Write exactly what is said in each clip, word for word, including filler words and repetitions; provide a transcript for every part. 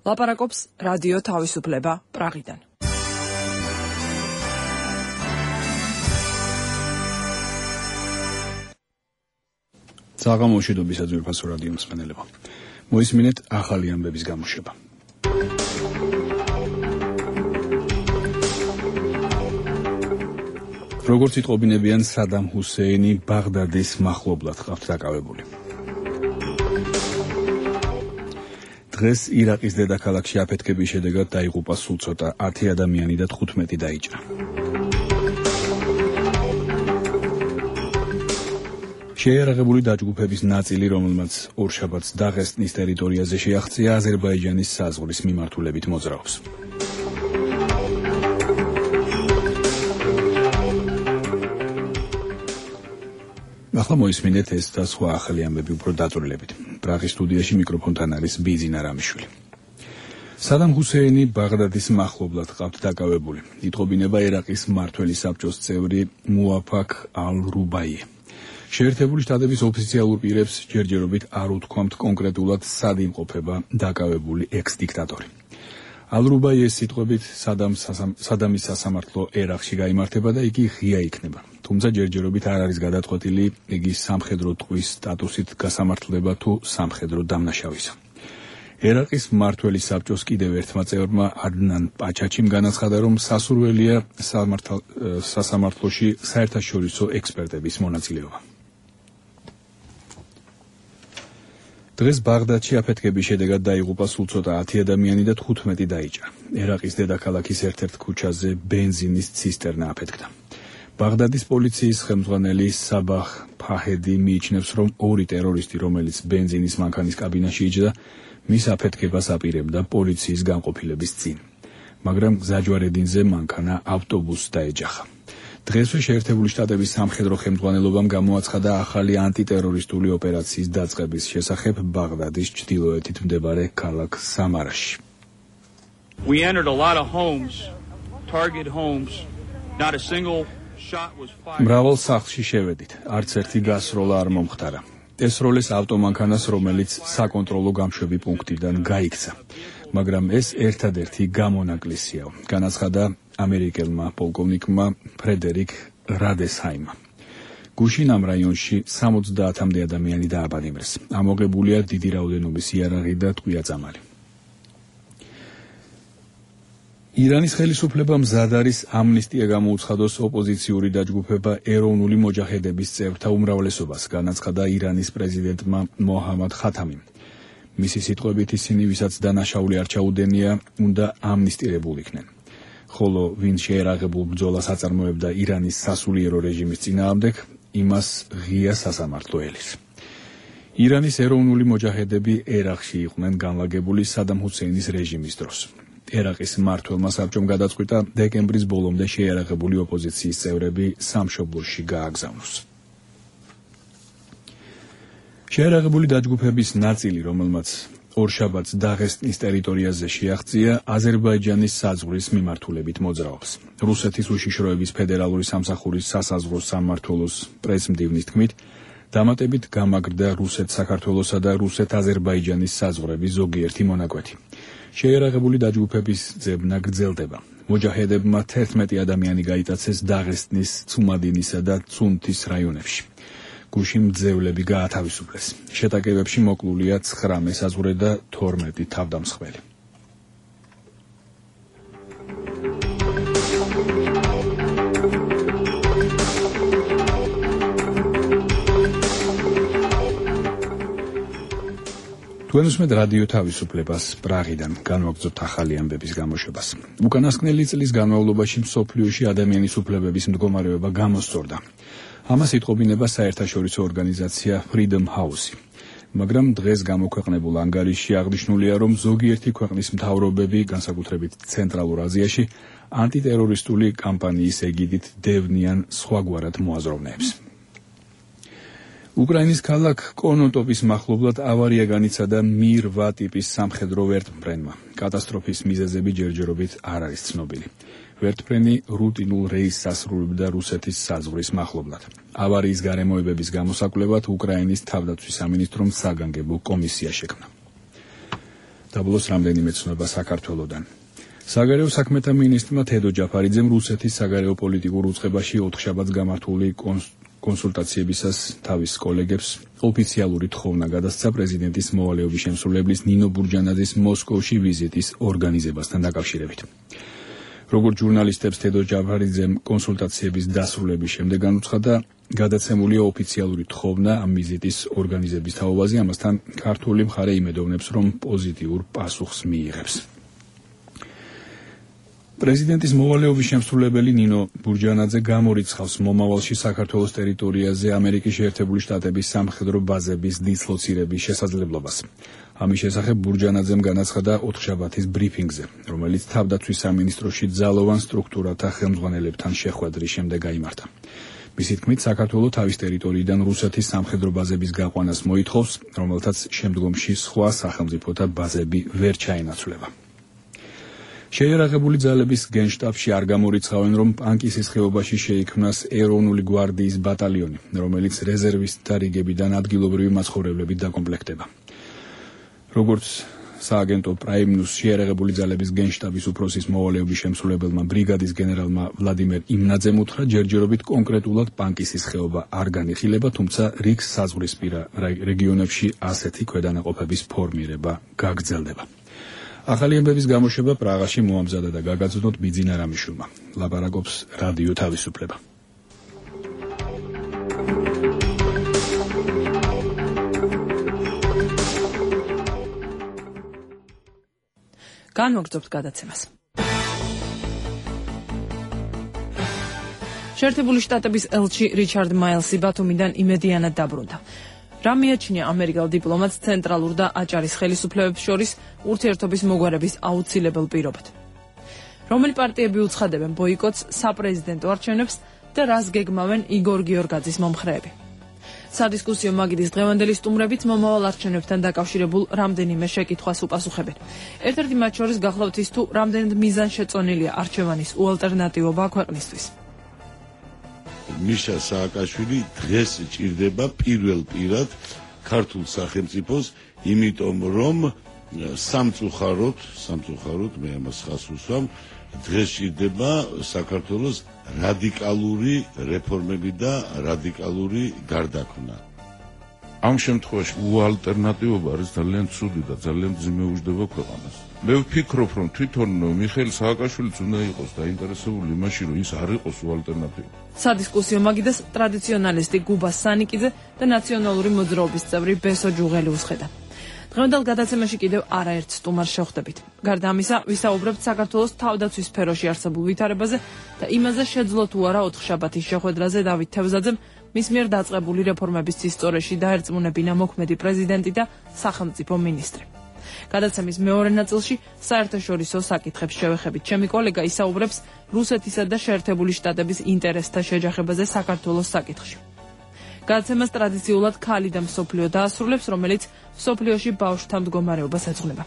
ლაპარაკობს რადიო თავისუფლება პრაღიდან. საღამოშვიდობის საძვირფასო რადიო მსმენელებო. მოისმინეთ ახალი ამბების გამოშვება. როგორც იტყობინებიან, სადამ ჰუსეინი ბაღდადის მახლობლად ყავთ დაკავებული. დღეს ირაყის დედაქალაქში აფეთქების შედეგად დაიღუპა სულ ცოტა ათი ადამიანი და თხუთმეტი დაიჭრა. შეიარაღებული დაჯგუფების ნაწილი, რომელმაც ორშაბათს დაღესტნის ტერიტორიაზე შეაღწია, აზერბაიჯანის საზღვრის მიმართულებით მოძრაობს. ახლა მოისმინეთ ეს და სხვა ახალი ამბები უფრო დაწვრილებით. პრაღის სტუდიაში მიკროფონთან არის ბიზინა რამიშვილი. სადამ ჰუსეინი ბაღდადის მახლობლად ყავთ დაკავებული. იტყობინება ერაყის მმართველი საბჭოს წევრი მუაფაქ ალ-რუბაიე. შეერთებული შტატების ოფიციალურ პირებს ჯერჯერობით არ უთქვამთ კონკრეტულად სად იმყოფება დაკავებული ექს-დიქტატორი. ალ-რუბაიეს სიტყვებით სადამის სასამართლო ერაყში გაიმართება და იგი ღია იქნება. თუმცა ჯერჯერობით არ არის გადაწყვეტილი იგი სამხედრო ტყვის სტატუსით გასამართლდება თუ სამხედრო დამნაშავისა. ერაყის მმართველი საბჭოს კიდევ ერთმა წევრმა ადნან პაჩაჩიმ განაცხადა, რომ სასურველია სასამართლოში საერთაშორისო ექსპერტების მონაწილეობა. დღეს ბაღდადში აფეთქების შედეგად დაიღუპა სულ ცოტა ათი ადამიანი და თხუთმეტი დაიჭრა. ერაყის დედაქალაქის ერთ-ერთ ქუჩაზე ბენზინის ცისტერნა აფეთქდა. ბაღდადის პოლიციის ხელმძღვანელი საბაჰ ფაჰედი მიიჩნევს, რომ ორი ტერორისტი, რომელიც ბენზინის მანქანის კაბინაში იჯდა, მის აფეთქებას აპირებდა პოლიციის განყოფილების წინ. მაგრამ გზაჯვარედინზე მანქანა ავტობუსს დაეჯახა. დღესვე შეერთებული შტატების სამხედრო ხელმძღვანელობამ გამოაცხადა ახალი ანტიტერორისტული ოპერაციის დაწყების შესახებ ბაღდადის ჩრდილოეთით მდებარე ქალაქ სამარაში. We entered a lot of homes, target homes, not a single shot was fired. მრავალ სახლში შევედით, არც ერთი გასროლა არ მომხდარა. ესროლეს ავტომანქანას, რომელიც საკონტროლო გამშვები პუნქტიდან გაიქცა. მაგრამ ეს ერთადერთი გამონაკლისია, განაცხადა ამერიკელმა პოლკოვნიკმა ფრედერიკ რადესჰაიმმა. გუშინ ამ რაიონში სამოცდაათამდე ადამიანი დააბანებრეს. ამოღებულია დიდი რაოდენობის იარაღი და ტყვია-წამალი. ირანის ხელისუფლება მზად არის ამნისტია გამოუცხადოს ოპოზიციური დაჯგუფება ეროვნული მოჯაჰედების წევრთა უმრავლესობას, განაცხადა ირანის პრეზიდენტმა მოჰამად ხათამიმ. მისი სიტყვებით ისინი, ვისაც დანაშაული არ ჩაუდენია, უნდა ამნისტირებულ იქნენ. ხოლო ვინ შეერაღებულ ბრძოლას აწარმოებდა ირანის სასულიერო რეჟიმის წინააღმდეგ, იმას ღია სასამართლო ელის. ირანის ეროვნული მოჯაჰედები ერაყში იყვნენ განლაგებული სადამ ჰუსეინის რეჟიმის დროს. ერაყის მმართველმა საბჭომ გადაწყვიტა დეკემბრის ბოლომდე შეიარაღებული ოპოზიციის წევრები სამშობლოში გააგზავნოს. შეიარაღებული დაჯგუფების ნაწილი, რომელმაც ორშაბათს დაღესტნის ტერიტორიაზე შეაღწია, აზერბაიჯანის საზღვრის მიმართულებით მოძრაობს. რუსეთის უშიშროების ფედერალური სამსახურის სასაზღვრო სამმართველოს პრესმდივნის თქმით, დამატებით გამაგრდა რუსეთ-საქართველოსა და რუსეთ-აზერბაიჯანის საზღვრების ზოგიერთი მონაკვეთი. შეიარაღებული დაჯგუფების ძებნა გრძელდება. მოჯაჰედებმა თერთმეტი ადამიანი გაიტაცეს დაღესტნის, ცუმადინისა და ცუნთის რაიონებში. გუშინ მძევლები გაათავისუფლეს. შეტაკებებში მოკლულია ცხრა მესაზღვრე და თორმეტი თავდამსხმელი. თქვენ უსმენთ რადიო თავისუფლებას პრაღიდან, განვაგრძობთ ახალი ამბების გამოშვებას. უკანასკნელი წლის განმავლობაში მსოფლიოში ადამიანის უფლებების მდგომარეობა გამოსწორდა. ამას იტყობინება საერთაშორისო ორგანიზაცია Freedom House. მაგრამ დღეს გამოქვეყნებულ ანგარიშში აღნიშნულია, რომ ზოგიერთი ქვეყნის მთავრობები, განსაკუთრებით ცენტრალურ აზიაში, ანტიტერორისტული კამპანიის ეგიდით დევნიან სხვაგვარად მოაზროვნეებს. უკრაინის ქალაქ კონოტოპის მახლობლად ავარია განიცადა მი რვა ტიპის სამხედრო ვერტმფრენმა. კატასტროფის მიზეზები ჯერჯერობით არ არის ცნობილი. ვერტმფრენი რუტინულ რეისს ასრულებდა რუსეთის საზღვრის მახლობლად. ავარიის გარემოებების გამოსაკვლევად უკრაინის თავდაცვის სამინისტრომ საგანგებო კომისია შექმნა. დაბლოს რამდენიმე ცნობა საქართველოდან. საგარეო საქმეთა მინისტრმა თედო ჯაფარიძემ რუსეთის საგარეო პოლიტიკურ უწყებაში ოთხშაბათს გამართული კონსულტაციებისას თავის კოლეგებს ოფიციალური თხოვნა გადასცა პრეზიდენტის მოვალეობის შემსრულებლის ნინო ბურჯანაძის მოსკოვში ვიზიტის ორგანიზებასთან დაკავშირებით. როგორც ჟურნალისტებს თედო ჯაფარიძემ კონსულტაციების დასრულების შემდეგ განუცხადა, გადაცემულია ოფიციალური თხოვნა ამ ვიზიტის ორგანიზების თაობაზე, ამასთან ქართული მხარე იმედოვნებს, რომ პოზიტიურ პასუხს მიიღებს. პრეზიდენტის მოვალეობის შემსრულებელი ნინო ბურჯანაძე გამორიცხავს მომავალში საქართველოს ტერიტორიაზე ამერიკის შეერთებული შტატების სამხედრო ბაზების დისლოცირების შესაძლებლობას. ამის შესახებ ბურჯანაძემ განაცხადა ოთხშაბათის ბრიფინგზე, რომელიც თავდაცვის სამინისტროში ძალოვან სტრუქტურათა ხელმძღვანელებთან შეხვედრის შემდეგ გაიმართა. მისი თქმით, საქართველო თავის ტერიტორიიდან რუსეთის სამხედრო ბაზების გაყვანას მოითხოვს, რომელთაც შემდგომში სხვა სახელმწიფოთა ბაზები ვერ ჩაენაცვლება. შეიარაღებული ძალების გენშტაბში არ გამორიცხავენ, რომ პანკისის ხეობაში შეიქმნას ეროვნული გვარდიის ბატალიონი, რომელიც რეზერვისტთა რიგებიდან ადგილობრივი მაცხოვრებლებით დაკომპლექტდება. როგორც სააგენტო პრაიმ ნიუს შეიარაღებული ძალების გენშტაბის უფროსის მოვალეობის შემსრულებელმა ბრიგადის გენერალმა ვლადიმერ იმნაძემ უთხრა, ჯერჯერობით კონკრეტულად პანკისის ხეობა არ განიხილება, თუმცა რიგს საზღვრისპირა რეგიონებში ასეთი ქვედანაყოფების ფორმირება გაგრძელდება. ახალი ამბების გამოშვება პრაღაში მოამზადა და გაგაცნოთ ბიძინა რამიშვილმა. ლაპარაკობს რადიო თავისუფლება. განვაგრძობთ გადაცემას. შეერთებული შტატების ელჩი რიჩარდ მაილსი ბათუმიდან იმედიანად დაბრუნდა. რა მიაჩნია ამერიკელ დიპლომატს ცენტრალურ და აჭარის ხელისუფლებებს შორის ურთიერთობის მოგვარების აუცილებელ პირობად. რომელი პარტიები უცხადებენ ბოიკოტს, საპრეზიდენტო არჩევნებს და რას გეგმავენ იგორ გიორგაძის მომხრეები. სადისკუსიო მაგიდის დღევანდელი სტუმრებით მომავალ არჩევნებთან დაკავშირებულ რამდენიმე შეკითხვას უპასუხებენ. ერთ-ერთი მათ შორის გახლავთ ის, თუ რამდენად მიზანშეწონილია არჩევანის უალტერნატივობა ქვეყნისთვის. მიშა სააკაშვილი დღეს ჭირდება პირველ პირად ქართულ სახელმწიფოს, იმიტომ რომ სამწუხაროდ, სამწუხაროდ მე ამას ხას უსვამ, დღეს ჭირდება საქართველოს რადიკალური რეფორმები და რადიკალური გარდაქმნა. ამ შემთხვევაში უალტერნატივობა არის ძალიან ცუდი და ძალიან მძიმე უჯდება ქვეყანას. მე ვფიქრობ, რომ თვითონ მიხეილ სააკაშვილიც უნდა იყოს დაინტერესებული იმაში, რომ ის არ იყოს უალტერნატივა. სადისკუსიო მაგიდას ტრადიციონალისტი გუბა სანიკიძე და ნაციონალური მოძრაობის წევრი ბესო ჯუღელი უსხედა. დღევანდელ გადაცემაში კიდევ არაერთ სტუმარს შევხვდებით. გარდა ამისა, ვისაუბრებთ საქართველოს თავდაცვის სფეროში არსებულ ვითარებაზე და იმაზე, შეძლო თუ არა ოთხშაბათის შეხვედრაზე დავით თევზაძემ მის მიერ დაწყებული რეფორმების წინსწორეში დაერწმუნებინა მოქმედი პრეზიდენტი და სახელმწიფო მინისტრი. გადაცემის მეორე ნაწილში საერთაშორისო საკითხებს შევეხებით. ჩემი კოლეგა ისაუბრებს რუსეთისა და შეერთებული შტატების ინტერესთა შეჯახებაზე საქართველოს საკითხში. გადაცემას ტრადიციულად ქალი და მსოფლიო დაასრულებს, რომელიც მსოფლიოში ბავშვთა მდგომარეობას ეძღვნება.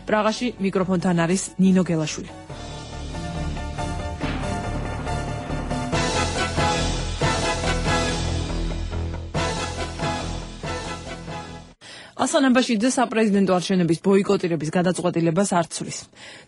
პრაღაში მიკროფონთან არის ნინო გელაშვილი. ასლან აბაშიძე საპრეზიდენტო არჩევნების ბოიკოტირების გადაწყვეტილებას არ ცვლის.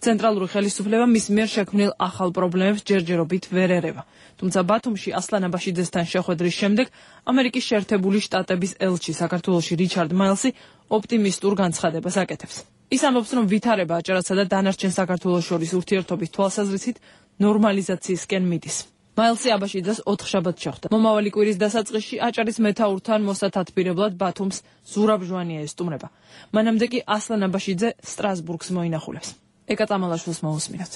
ცენტრალური ხელისუფლება მის მიერ შექმნილ ახალ პრობლემებს ჯერჯერობით ვერ ერევა. თუმცა ბათუმში ასლან აბაშიძესთან შეხვედრის შემდეგ ამერიკის შეერთებული შტატების ელჩი საქართველოში რიჩარდ მაილსი ოპტიმისტურ განცხადებას აკეთებს. ის ამბობს, რომ ვითარება აჭარასა და დანარჩენ საქართველოს შორის ურთიერთობის თვალსაზრისით ნორმალიზაციისკენ მიდის. მაილსი აბაშიძეს ოთხშაბათს შეხვდა. მომავალი კვირის დასაწყისში აჭარის მეთაურთან მოსათათბირებლად ბათუმს ზურაბ ჟვანია ესტუმრება. მანამდე კი ასლან აბაშიძე სტრასბურგს მოინახულებს. ეკა წამალაშვილს მოусმინოთ.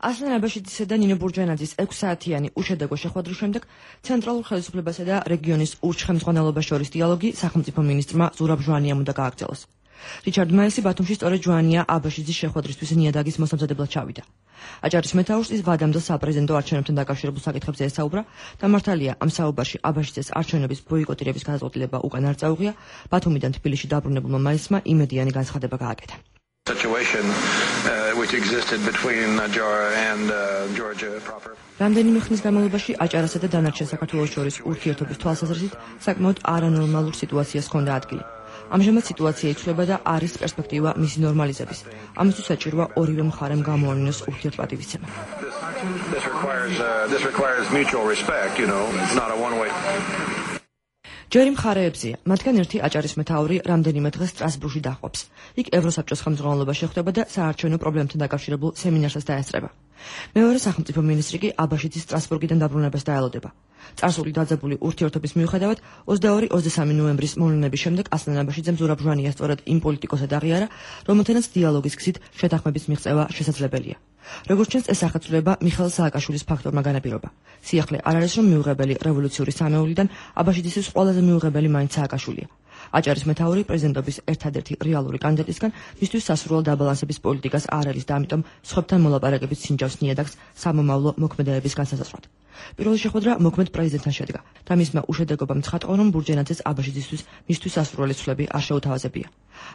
ასლან აბაშიძისა და ნინო ბურჯანაძის ექვსსაათიანი უშედეგო შეხვედრის შემდეგ ცენტრალურ ხელისუფლებასა და რეგიონის ურჩხემძღვანელობას შორის დიალოგი სახელმწიფო მინისტრმა ზურაბ ჟვანიამ უნდა გააგრძელოს. რიჩარდ მაილსი ბათუმში სწორედ ჟვანია აბაშიძის შეხვედრისთვის ნიადაგის მოსამზადებლად ჩავიდა. აჭარის მეთაურს ის ვადამდე საპრეზიდენტო არჩევნებთან დაკავშირებულ საკითხებზე ესაუბრა და მართალია ამ საუბარში აბაშიძეს არჩევნების ბოიკოტირების გადაწყვეტილება უკან არ წაუღია, ბათუმიდან თბილისში დაბრუნებულმა მაილსმა იმედიანი განცხადება გააკეთა. situation uh, which existed between Ajara and uh, Georgia proper. რამდენიმე ხნის განმავლობაში აჭარასა და დანარჩენ საქართველოს შორის ურთიერთობის თვალსაზრისით საკმაოდ არანორმალურ სიტუაციას ჰქონდა ადგილი. ამჟამად სიტუაცია იცვლება და არის პერსპექტივა მისი ნორმალიზების. ამისთვის საჭიროა ორივე მხარემ გამოავლინოს ურთიერთპატივისცემა. This requires uh, this requires mutual respect, you know, it's not a one-way. ჯერი მხარეებზია, მათგან ერთი აჭარის მეთაური რამდენიმე დღეს სტრასბურგში დაჰყვებს. იქ ევროსაბჭოს ხელმძღვანელობაში ხვდება და საარჩევნო პრობლემებთან დაკავშირებულ სემინარსაც დაესწრება. მეორე სახელმწიფო მინისტრი კი აბაშიძის სტრასბურგიდან დაბრუნებას დაელოდება. წარსული დაძაბული ურთიერთობის მიუხედავად ოცდაორი ოცდასამი ნოემბრის მოვლენების შემდეგ ასლან აბაშიძემ ზურაბ ჟვანია სწორედ იმ პოლიტიკოსად აღიარა, რომელთანაც დიალოგის გზით შეთანხმების მიღწევა შესაძლებელია. როგორც ჩანს, ეს ახალწლება მიხეილ სააკაშვილის ფაქტორმა განაპირობა. სიახლე არ არის, რომ მიუღებელი რევოლუციური სამეულიდან აბაშიძისთვის ყველაზე მიუღებელი მაინც სააკაშვილია. აჭარის მეთაური პრეზიდენტობის ერთადერთი რეალური კანდიდატისგან მისთვის სასურველ დაბალანსების პოლიტიკას არ არის და ამიტომ სხვებთან მოლაპარაკებით სინჯავს ნიადაგს სამომავლო მოქმედებების განსაზღვრად. პირველი შეხვედრა მოქმედ პრეზიდენტთან შედგა და მისმა უშედეგობამ ცხადყო, რომ ბურჯენაძეს აბაშიძისთვის მისთვის სასურველი ცვლები არ შეუთავაზებია.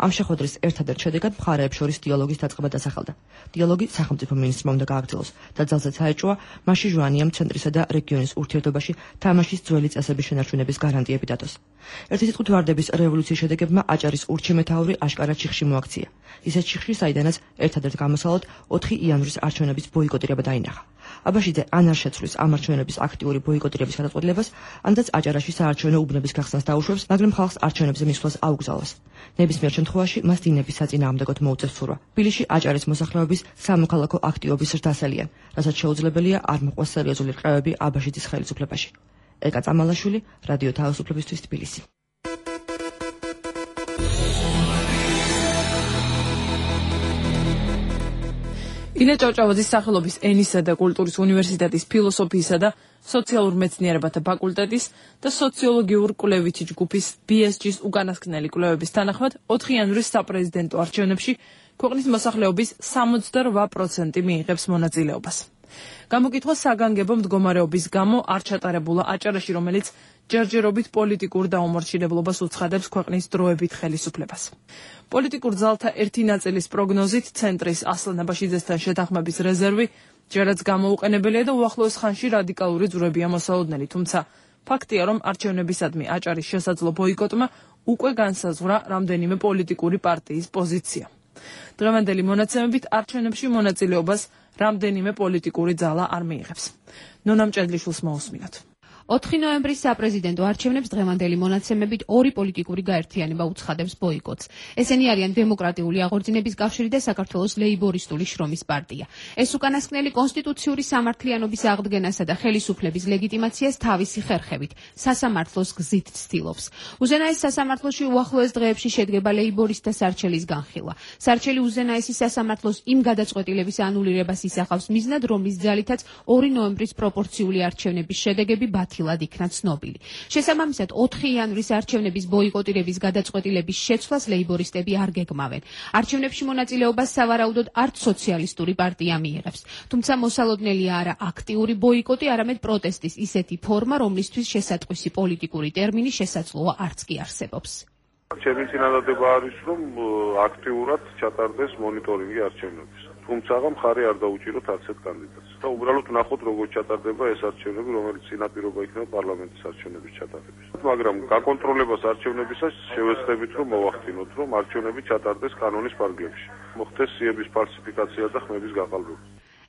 ამ შეხვედრის ერთადერთ შედეგად მხარეებს შორის დიალოგის დაწყება დასახელდა. დიალოგი სახელმწიფო მინისტრმა უნდა გააგრძელოს და ძალზედ საეჭვოა მასში ჟვანიამ ცენტრისა და რეგიონის ურთიერთობაში თამაშის ძველი წესების შენარჩუნების გარანტიები დადოს. ერთი სიტყვით ვარდების რევოლუციის შედეგებმა აჭარის ურჩი-მეთაური აშკარად ჩიხში მოაქცია. ისეთ ჩიხში, საიდანაც ერთადერთ გამოსალოდ ოთხი იანვრის არჩევნების ბოიკოტირება დაინახა. აბაშიძე ან არ შეცვლის ამ არჩევნების აქტიური ბოიკოტირების გადაწყვეტილებას, ანაც აჭარაში საარჩევნო უბნების გახსნას დაუშვებს, მაგრამ ხალხს არჩევნებზე მისვლას აუგზავნოს. ნებისმიერ შემთხვევაში მას დინების საწინააღმდეგოდ მოუწევს ცურვა. თბილისში აჭარის მოსახლეობის სამოქალაქო აქტივობის ზრდასელიან, რასაც შეუძლებელია არ მოყვას სერიოზული რყევები აბაშიძის ხელისუფლებაში. ეკა წამალაშვილი, რადიო თავისუფლებისთვის თბილისი. ილე ჭავჭავაძის სახელობის ენისა და კულტურის უნივერსიტეტის ფილოსოფიისა და სოციალურ მეცნიერებათა ფაკულტეტის და სოციოლოგიურ კვლევითი ჯგუფის ბი ეს ჯის უკანასკნელი კვლევების თანახმად ოთხი იანვრის საპრეზიდენტო არჩევნებში ქვეყნის მოსახლეობის სამოცდარვა პროცენტი მიიღებს მონაწილეობას. გამოკითხვა საგანგებო მდგომარეობის გამო არ ჩატარებულა აჭარაში, რომელიც ჯერჯერობით პოლიტიკურ დაუმორჩილებლობას უცხადებს ქვეყნის დროებით ხელისუფლებას. პოლიტიკურ ძალთა ერთი ნაწილის პროგნოზით ცენტრის ასლან აბაშიძესთან შეთანხმების რეზერვი ჯერაც გამოუყენებელია და უახლოეს ხანში რადიკალური ძვრებია მოსალოდნელი, თუმცა ფაქტია, რომ არჩევნებისადმი აჭარის შესაძლო ბოიკოტმა უკვე განსაზღვრა რამდენიმე პოლიტიკური პარტიის პოზიცია. დღევანდელი მონაცემებით არჩევნებში მონაწილეობას რამდენიმე პოლიტიკური ძალა არ მიიღებს. ნონა მჭედლიშვილს მოусმინოთ. ოთხი ნოემბრის საპრეზიდენტო არჩევნებს დღევანდელი მონაცემებით ორი პოლიტიკური გაერთიანება უცხადებს ბოიკოტს. ესენი არიან დემოკრატიული აღორძინების კავშირი და საქართველოს ლეიბორისტული შრომის პარტია. ეს უკანასკნელი კონსტიტუციური სამართლიანობის აღდგენასა და ხელისუფლების ლეგიტიმაციას თავისი ხერხებით სასამართლოს გზით ცდილობს. უზენაეს სასამართლოში უახლოეს დღეებში შედგება ლეიბორისტთა სარჩელის განხილვა. სარჩელი უზენაესი სასამართლოს იმ გადაწყვეტილების ანულირებას ისახავს მიზნად, რომლის ძალითაც ორი ნოემბრის პროპორციული არჩევნების შედეგები ბათილად იქნა ცნობილი. შესაბამისად, ოთხი იანვრის არჩევნების ბოიკოტირების გადაწყვეტილების შეცვლას ლეიბორისტები არ გეგმავენ. არჩევნებში მონაწილეობას სავარაუდოდ არც სოციალისტური პარტია მიიღებს. თუმცა მოსალოდნელია არა აქტიური ბოიკოტი, არამედ პროტესტის ისეთი ფორმა, რომლისთვის შესატყვისი პოლიტიკური ტერმინი შესაძლოა არც კი არსებობს. ჩემი წინადადება არის, რომ აქტიურად ჩატარდეს მონიტორინგი არჩევნების. თუმცა მხარი არ დაუჭიროთ არცერთ კანდიდატს. და უბრალოდ ნახოთ როგორ ჩატარდება ეს არჩევნები, რომელიც წინაპირობა იქნება პარლამენტის არჩევნების ჩატარების. მაგრამ გაკონტროლებას არჩევნებისას შევეცდებით, რომ მოვახდინოთ, რომ არჩევნები ჩატარდეს კანონის ფარგლებში. მოხდეს სიების ფალსიფიკაცია და ხმების გაყალბება.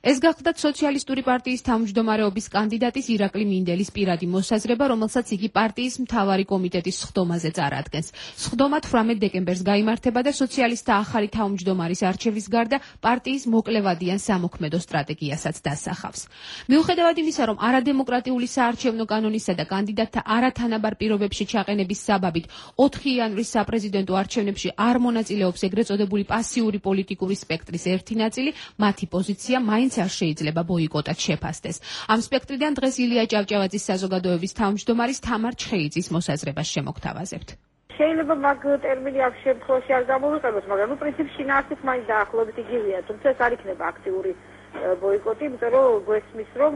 ეს გახლდათ სოციალისტური პარტიის თავმჯდომარეობის კანდიდატის ირაკლი მინდელის პირადი მოსაზრება, რომელსაც იგი პარტიის მთავარი კომიტეტის სხდომაზე წარადგენს. სხდომა თვრამეტ დეკემბერს გაიმართება და სოციალისტთა ახალი თავმჯდომარის არჩევის გარდა პარტიის მოკლევადიან სამოქმედო სტრატეგიასაც დასახავს. მიუხედავად იმისა, რომ არადემოკრატიული საარჩევნო კანონისა და კანდიდატთა არათანაბარ პირობებში ჩაყენების საბაბით ოთხი იანვრის საპრეზიდენტო არჩევნებში არ მონაწილეობს ეგრეთ წოდებული პასიური პოლიტიკური სპექტრის ერთი ნაწილი, მათი პოზიცია მაინც არ შეიძლება ბოიკოტად შეფასდეს. ამ სპექტრიდან დღეს ილია ჭავჭავაძის საზოგადოების თავმჯდომარის თამარ ჩხეიძის მოსაზრებას შემოგთავაზებთ. შეიძლება მაგ ტერმინი ამ შემთხვევაში არ გამოვიყენოს, მაგრამ ნუ პრინციპში შინაარსით მაინც დაახლოებით იგივეა, თუმცა ეს არ იქნება აქტიური ბოიკოტი, იმიტომ რომ გვესმის, რომ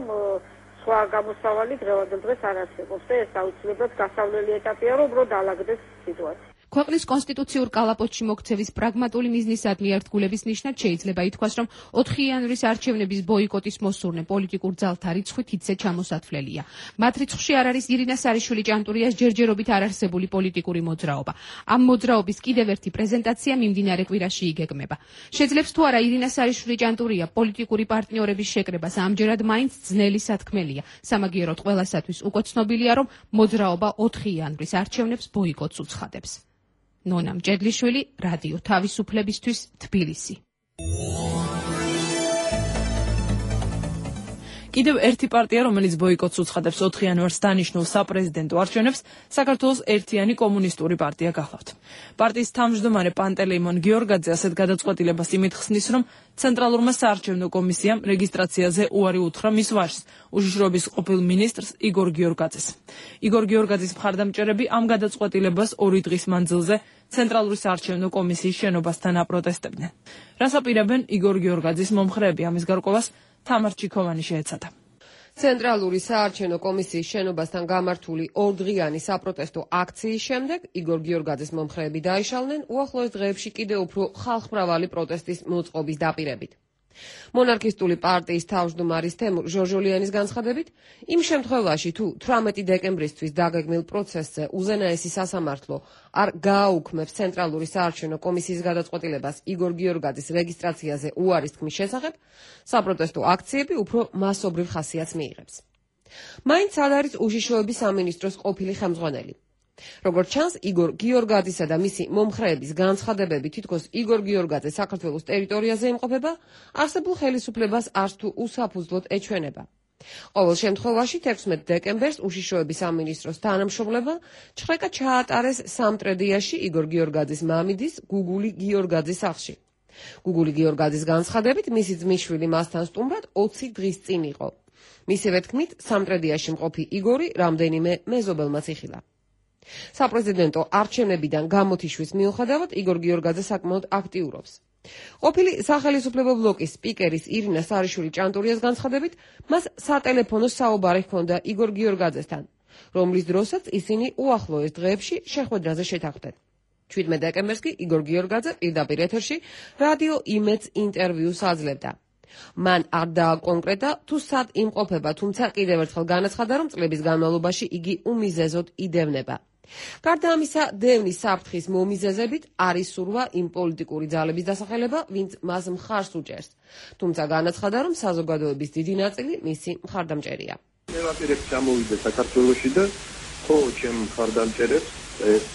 სხვა გამოსავალი დღევანდელ დღეს არ არსებობს და ეს აუცილებლად გასავლელი ეტაპია, რომ უფრო დაალაგდეს სიტუაცია. ქვეყნის კონსტიტუციურ კალაპოტში მოქცევის პრაგმატული მიზნისადმი ერთგულების ნიშნად შეიძლება ითქვას, რომ ოთხი იანვრის არჩევნების ბოიკოტის მოსურნე პოლიტიკურ ძალთა რიცხვით ისე ჩამოსათვლელია. მათ რიცხვში არ არის ირინა სარიშვილი ჭანტურიას ჯერჯერობით არ არსებული პოლიტიკური მოძრაობა. ამ მოძრაობის კიდევ ერთი პრეზენტაცია მიმდინარე კვირაში იგეგმება. შეძლებს თუ არა ირინა სარიშვილი ჭანტურია პოლიტიკური პარტნიორების შეკრებას ამჯერად მაინც ძნელი სათქმელია. სამაგიეროდ ყველასათვის უკვე ცნობილია, რომ მოძრაობა ოთხი იანვრის არჩევნებს ბოიკოტს უცხადებს. ნონა მჭედლიშვილი, რადიო თავისუფლებისთვის, თბილისი. კიდევ ერთი პარტია, რომელიც ბოიკოტს უცხადებს ოთხი იანვარს დანიშნულ საპრეზიდენტო არჩევნებს, საქართველოს ერთიანი კომუნისტური პარტია გახლავთ. პარტიის თავმჯდომარე პანტელეიმონ გიორგაძე ასეთ გადაწყვეტილებას იმით ხსნის, რომ ცენტრალურმა საარჩევნო კომისიამ რეგისტრაციაზე უარი უთხრა მის ვაჟს, უშიშროების ყოფილ მინისტრს იგორ გიორგაძეს. იგორ გიორგაძის მხარდამჭერები ამ გადაწყვეტილებას ორი დღის მანძილზე ცენტრალური საარჩევნო კომისიის შენობასთან აპროტესტებდნენ. რას აპირებენ იგორ გიორგაძის მომხრეები ამის გარკვევას თამარ ჩიქოვანი შეეცადა. ცენტრალური საარჩევნო კომისიის შენობასთან გამართული ორდღიანი საპროტესტო აქციის შემდეგ იგორ გიორგაძის მომხრეები დაიშალნენ უახლოეს დღეებში კიდევ უფრო ხალხმრავალი პროტესტის მოწყობის დაპირებით. მონარქისტული პარტიის თავმჯდომარის თემურ ჟორჟოლიანის განცხადებით, იმ შემთხვევაში თუ თვრამეტი დეკემბრისთვის დაგეგმილ პროცესზე უზენაესი სასამართლო არ გააუქმებს ცენტრალური საარჩევნო კომისიის გადაწყვეტილებას იგორ გიორგაძის რეგისტრაციაზე უარის თქმის შესახებ, საპროტესტო აქციები უფრო მასობრივ ხასიათს მიიღებს. მაინც არ არის უშიშროების სამინისტროს ყოფილი ხელმძღვანელი. როგორც ჩანს, იგორ გიორგაძისა და მისი მომხრეების განცხადებები თითქოს იგორ გიორგაძე საქართველოს ტერიტორიაზე იმყოფება, არსებულ ხელისუფლებას არც თუ უსაფუძვლოდ ეჩვენება. ყოველ შემთხვევაში თექვსმეტ დეკემბერს უშიშროების სამინისტროს თანამშრომლებმა ჩხრეკა ჩაატარეს სამტრედიაში იგორ გიორგაძის მამიდის გუგული გიორგაძის სახლში. გუგული გიორგაძის განცხადებით, მისი ძმისშვილი მასთან სტუმრად ოცი დღის წინ იყო. მისივე თქმით, სამტრედიაში მყოფი იგორი რამდენიმე მეზობელმაც იხილა. საპრეზიდენტო არჩევნებიდან გამოთიშვის მიუხედავად იგორ გიორგაძე საკმაოდ აქტიურობს. ყოფილი სახელისუფლებო ბლოკის სპიკერის ირინა სარიშვილი ჭანტურიას განცხადებით, მას სატელეფონო საუბარი ჰქონდა იგორ გიორგაძესთან, რომლის დროსაც ისინი უახლოეს დღეებში შეხვედრაზე შეთანხმდნენ. შვიდმეტ დეკემბერს კი იგორ გიორგაძე პირდაპირ ეთერში რადიო იმედს ინტერვიუს აძლევდა. მან არ დააკონკრეტა თუ სად იმყოფება, თუმცა კიდევ ერთხელ განაცხადა, რომ წლების განმავლობაში იგი უმიზეზოდ იდევნება. გარდა ამისა, დევნის საფრთხის მომიზეზებით არ ისურვა იმ პოლიტიკური ძალების დასახელება, ვინც მას მხარს უჭერს. თუმცა განაცხადა, რომ საზოგადოების დიდი ნაწილი მისი მხარდამჭერია. მე ვაპირებ ჩამოვიდე საქართველოში და ხო, ჩემ მხარდამჭერებს ეს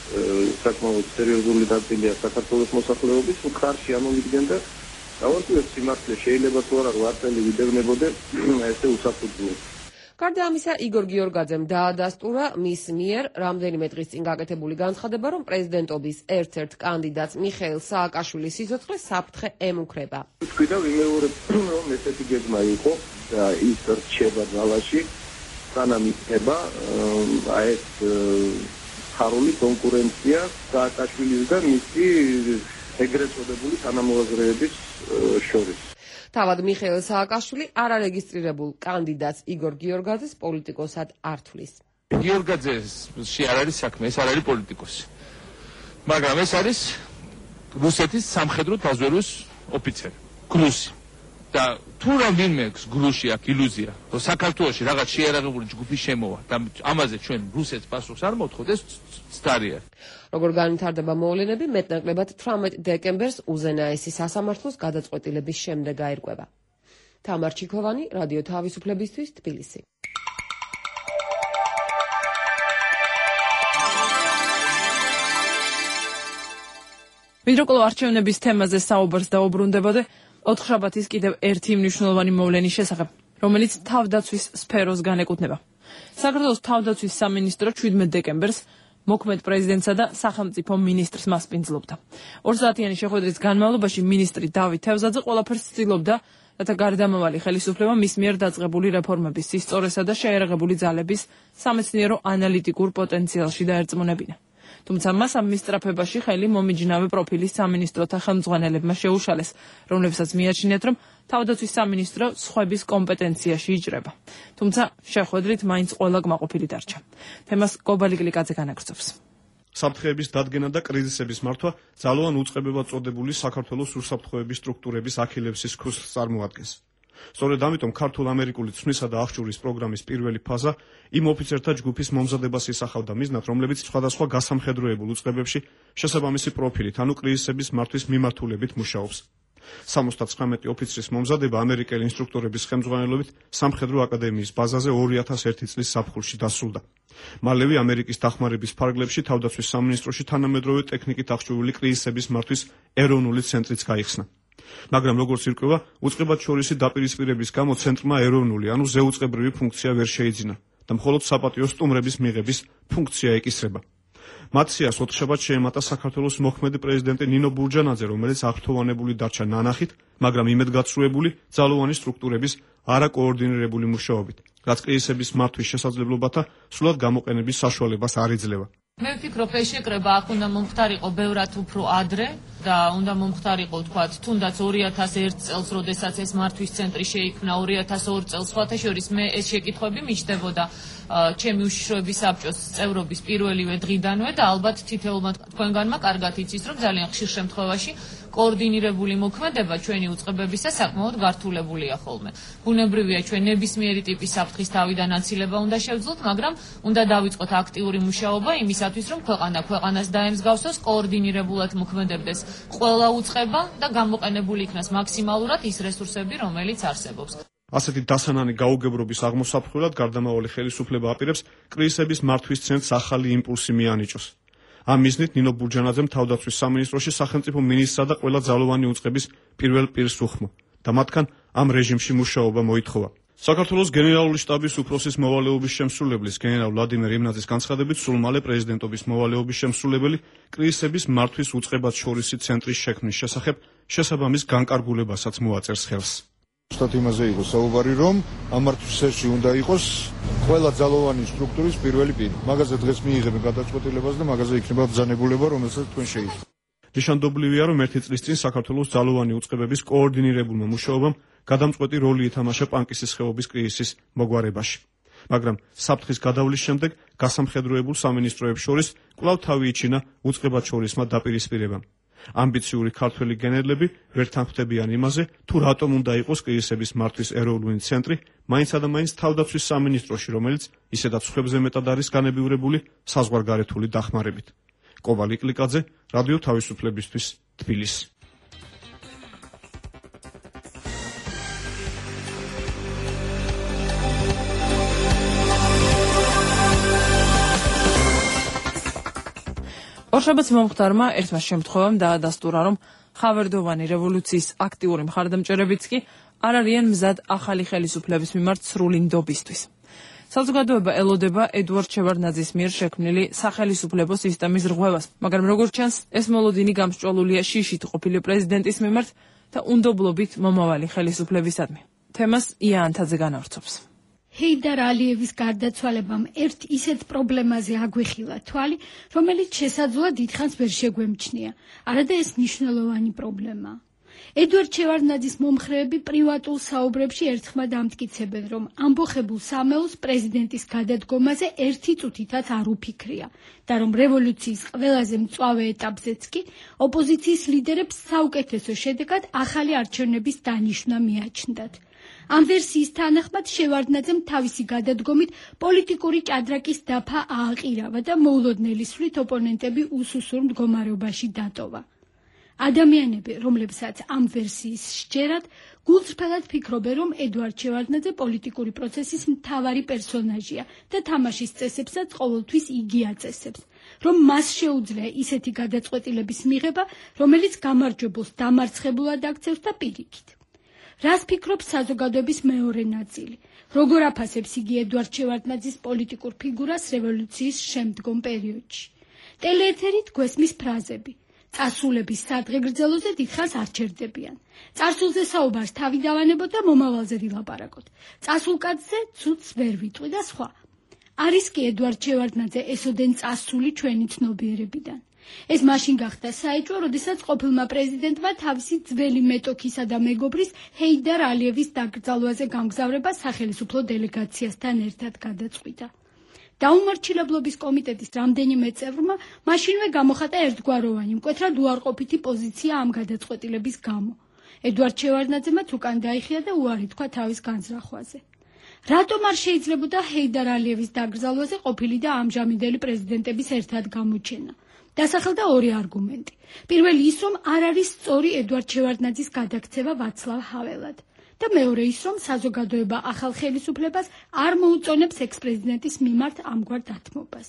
საკმაოდ სერიოზული ნაწილია საქართველოს მოსახლეობის მხარში ამოვიდნენ და დავარკვიოთ სიმართლე, შეიძლება თუ არა ვარტელი ვიდევნებოდე ესე უსაფუძვლოდ. გარდა ამისა, იგორ გიორგაძემ დაადასტურა მის მიერ რამდენიმე დღის წინ გაკეთებული განცხადება, რომ პრეზიდენტობის ერთ-ერთ კანდიდატს მიხეილ სააკაშვილის სიცოცხლე საფრთხე ემუქრება. თქვი და ვიმეორებ, რომ ესეთი გეგმა იყო და ის რჩება ძალაში, სანამ იქნება აი ეს ხარული კონკურენცია სააკაშვილის და მისი ეგრეთ წოდებული თანამოაზრეების შორის. თავად მიხეილ სააკაშვილი არარეგისტრირებულ კანდიდატს იგორ გიორგაძეს პოლიტიკოსად არ თვლის. გიორგაძეში არ არის საქმე, ეს არ არის პოლიტიკოსი. მაგრამ ეს არის რუსეთის სამხედრო დაზვერვის ოფიცერი, გლუსი. და თუ რამდენიმე გლუსი აქვს ილუზია, რომ საქართველოში რაღაც შეიარაღებული ჯგუფი შემოვა და ამაზე ჩვენ რუსეთს პასუხს არ მოვთხოვთ, ეს ცდარია. როგორ განვითარდება მოვლენები, მეტნაკლებად თვრამეტ დეკემბერს უზენაესი სასამართლოს გადაწყვეტილების შემდეგ აირკვევა. თამარ ჩიქოვანი, რადიო თავისუფლებისთვის, თბილისი. ვიდროკლო არჩევნების თემაზე საუბარს დაუბრუნდებოდა ოთხშაბათის კიდევ ერთი მნიშვნელოვანი მოვლენის შესახებ, რომელიც თავდაცვის სფეროს განეკუთვნება. საქართველოს თავდაცვის სამინისტრო შვიდმეტ დეკემბერს მოქმედ პრეზიდენტსა და სახელმწიფო მინისტრს მასპინძლობდა. ორი საათიანი შეხვედრის განმავლობაში მინისტრი დავით თევზაძე ყველაფერს ცდილობდა, რათა გარდამავალი ხელისუფლება მის მიერ დაწყებული რეფორმების სისწორესა და შეიარაღებული ძალების სამეცნიერო ანალიტიკურ პოტენციალში დაერწმუნებინა. თუმცა მას ამ მისწრაფებაში ხელი მომიჯნავე პროფილის სამინისტროთა ხელმძღვანელებმა შეუშალეს, რომლებსაც მიაჩნიათ, რომ თავდაცვის სამინისტრო სხვების კომპეტენციაში იჭრება. თუმცა შეხვედრით მაინც ყველა კმაყოფილი დარჩა. თემას კობალი გლიკაძე განაგრძობს. საფრთხეების დადგენა და კრიზისების მართვა ძალოვან უწყებებად წოდებული საქართველოს უსაფრთხოების სტრუქტურების ახილევსის ქუსლს წარმოადგენს. სწორედ ამიტომ ქართულ-ამერიკული ცვლისა და აღჭურის პროგრამის პირველი ფაზა იმ ოფიცერთა ჯგუფის მომზადებას ისახავდა მიზნად, რომლებიც სხვადასხვა გასამხედროებულ უწყებებში შესაბამისი პროფილით, ანუ კრიზისების მართვის მიმართულებით მუშაობს. სამოცდათვრამეტი ოფიცრის მომზადება ამერიკელი ინსტრუქტორების ხელმძღვანელობით სამხედრო აკადემიის ბაზაზე ორი ათას ერთი წლის ზაფხულში დასრულდა. მალევე ამერიკის დახმარების ფარგლებში თავდაცვის სამინისტროში თანამედროვე ტექნიკით აღჭურვილი კრიზისების მართვის ეროვნული ცენტრიც გაიხსნა. მაგრამ როგორც ირკვევა, უწყებათშორისი დაპირისპირების გამო ცენტრმა ეროვნული, ანუ ზეუწყებრივი ფუნქცია ვერ შეიძინა და მხოლოდ საპატიო სტუმრების მიღების ფუნქცია ეკისრება. მათ სიას ოთხშაბათს შეემატა საქართველოს მოქმედი პრეზიდენტი ნინო ბურჯანაძე, რომელიც აღფრთოვანებული დარჩა ნანახით, მაგრამ იმედგაცრუებული ძალოვანი სტრუქტურების არაკოორდინირებული მუშაობით, რაც კრიზისების მართვის შესაძლებლობათა სრულად გამოყენების საშუალებას არ იძლევა. მე ვფიქრობ, ეს შეკრება აქ უნდა მომხდარიყო ბევრად უფრო ადრე და უნდა მომხდარიყო, თქვათ, თუნდაც ორი ათას ერთ წელს, როდესაც ეს მართვის ცენტრი შეიქმნა, ორი ათას ორ წელს, სხვათა შორის მე ეს შეკითხვები მიჩნდებოდა ჩემი უშიშროების საბჭოს წევრობის პირველივე დღიდანვე და ალბათ თითოეულმა თქვენგანმა კარგად იცის, რომ ძალიან ხშირ შემთხვევაში კოორდინირებული მოქმედება ჩვენი უწყებებისა საკმაოდ გართულებულია ხოლმე. ბუნებრივია, ჩვენ ნებისმიერი ტიპის საფრთხის თავიდან აცილება უნდა შევძლოთ, მაგრამ უნდა დავიწყოთ აქტიური მუშაობა იმისათვის, რომ ქვეყანა ქვეყანას დაემსგავსოს, კოორდინირებულად მოქმედებდეს ყველა უწყება და გამოყენებული იქნას მაქსიმალურად ის რესურსები, რომელიც არსებობს. ასეთი დასანანი გაუგებრობის აღმოსაფრთხებლად გარდამავალი ხელისუფლება აპირებს კრიზისების მართვის ცენტრს ახალი იმპულსი მიანიჭოს. ამ მიზნით ნინო ბურჯანაძემ თავდაცვის სამინისტროში სახელმწიფო მინისტრსა და ყველა ძალოვანი უწყების პირველ პირს უხმო და მათგან ამ რეჟიმში მუშაობა მოითხოვა. საქართველოს გენერალური შტაბის უფროსის მოვალეობის შემსრულებლის გენერალ ვლადიმერ იმნაძის განცხადებით, სულ მალე პრეზიდენტობის მოვალეობის შემსრულებელი კრიზისების მართვის უწყებათშორისი ცენტრის შექმნის შესახებ შესაბამის განკარგულებასაც მოაწერს ხელს. Სად იმაზე იყო საუბარი, რომ ამ მართვის ცენტრში უნდა იყოს ყველა ძალოვანი სტრუქტურის პირველი პირი. მაგაზე დღეს მიიღებენ გადაწყვეტილებას და მაგაზე იქნება ბრძანებულება, რომელსაც თქვენ შეიცვალეთ. ნიშანდობლივია, რომ ერთი წლის წინ საქართველოს ძალოვანი უწყებების კოორდინირებულმა მუშაობამ გადამწყვეტი როლი ითამაშა პანკისის ხეობის კრიზისის მოგვარებაში. მაგრამ საფრთხის გადავლის შემდეგ გასამხედროებულ სამინისტროებს შორის კვლავ თავი იჩინა უწყებათშორისმა დაპირისპირებამ. ამბიციური ქართველი გენერლები ვერ თანხმდებიან იმაზე, თუ რატომ უნდა იყოს კრიზისების მართვის ეროვნული ცენტრი, მაინცსა და მაინც თავდაცვის სამინისტროში, რომელიც ისედაც სხვებზე მეტად არის განებივრებული საზღვარგარეთული დახმარებით. კოვალ იკლიკაძე, რადიო თავისუფლებისთვის, თბილისი. ორშაბათს მომხდარმა ერთმა შემთხვევამ დაადასტურა, რომ ხავერდოვანი რევოლუციის აქტიური მხარდამჭერებიც კი არ არიან მზად ახალი ხელისუფლების მიმართ სრული ნდობისთვის. საზოგადოება ელოდება ედუარდ შევარდნაძის მიერ შექმნილი სახელისუფლებო სისტემის რღვევას, მაგრამ როგორც ჩანს, ეს მოლოდინი გამსჭვალულია შიშით ყოფილი პრეზიდენტის მიმართ და უნდობლობით მომავალი ხელისუფლებისადმი. თემას ია ანთაძე განავრცობს. ჰეიდარ ალიევის გარდაცვალებამ ერთ ისეთ პრობლემაზე აგვიხილა თვალი, რომელიც შესაძლოა დიდხანს ვერ შეგვემჩნია. არადა ეს მნიშვნელოვანი პრობლემა. ედუარდ შევარდნაძის მომხრეები პრივატულ საუბრებში ერთხმად ამტკიცებენ, რომ ამბოხებულ სამეულს პრეზიდენტის გადადგომაზე ერთი წუთითაც არ უფიქრია და რომ რევოლუციის ყველაზე მწვავე ეტაპზეც კი ოპოზიციის ლიდერებს საუკეთესო შედეგად ახალი არჩევნების დანიშვნა მიაჩნდათ. ამ ვერსიის თანახმად შევარდნაძემ თავისი გადადგომით პოლიტიკური ჭადრაკის დაფა ააყირავა და მოულოდნელი სვლით ოპონენტები უსუსურ მდგომარეობაში დატოვა. ადამიანები, რომლებსაც ამ ვერსიის სჯერათ, გულწრფელად ფიქრობენ, რომ ედუარდ შევარდნაძე პოლიტიკური პროცესის მთავარი პერსონაჟია და თამაშის წესებსაც ყოველთვის იგი აწესებს, რომ მას შეუძლია ისეთი გადაწყვეტილების მიღება, რომელიც გამარჯვებულს დამარცხებულად აქცევს და პირიქით. რას ფიქრობს საზოგადოების მეორე ნაწილი? როგორ აფასებს იგი ედუარდ შევარდნაძის პოლიტიკურ ფიგურას რევოლუციის შემდგომ პერიოდში? ტელეეთერით გვესმის ფრაზები. წარსულების სადღეგრძელოზე დიდხანს არ ჩერდებიან. წარსულზე საუბარს თავი დავანებოთ და მომავალზე ვილაპარაკოთ. წასულკაცზე ცუდს ვერ ვიტყვი და სხვა. არის კი ედუარდ შევარდნაძე ესოდენ წასული ჩვენი ცნობიერებიდან. ეს მაშინ გახდა საეჭვო, როდესაც ყოფილმა პრეზიდენტმა თავისი ძველი მეტოქისა და მეგობრის ჰეიდარ ალიევის დაკრძალვაზე გამგზავრება სახელისუფლო დელეგაციასთან ერთად გადაწყვიტა. დაუმორჩილებლობის კომიტეტის რამდენიმე წევრმა მაშინვე გამოხატა ერთგვაროვანი მკვეთრად უარყოფითი პოზიცია ამ გადაწყვეტილების გამო. ედვარდ შევარდნაძემაც უკან დაიხია და უარი თქვა თავის განზრახვაზე. რატომ არ შეიძლებოდა ჰეიდარ ალიევის დაკრძალვაზე ყოფილი და ამჟამინდელი პრეზიდენტების ერთად გამოჩენა? დასახელდა ორი არგუმენტი. პირველი ის, რომ არ არის სწორი ედვარდ შევარდნაძის გადაქცევა ვაცლავ ჰაველად. და მეორე ის, რომ საზოგადოება ახალ ხელისუფლებას არ მოუწონებს ექს-პრეზიდენტის მიმართ ამგვარ დათმობას.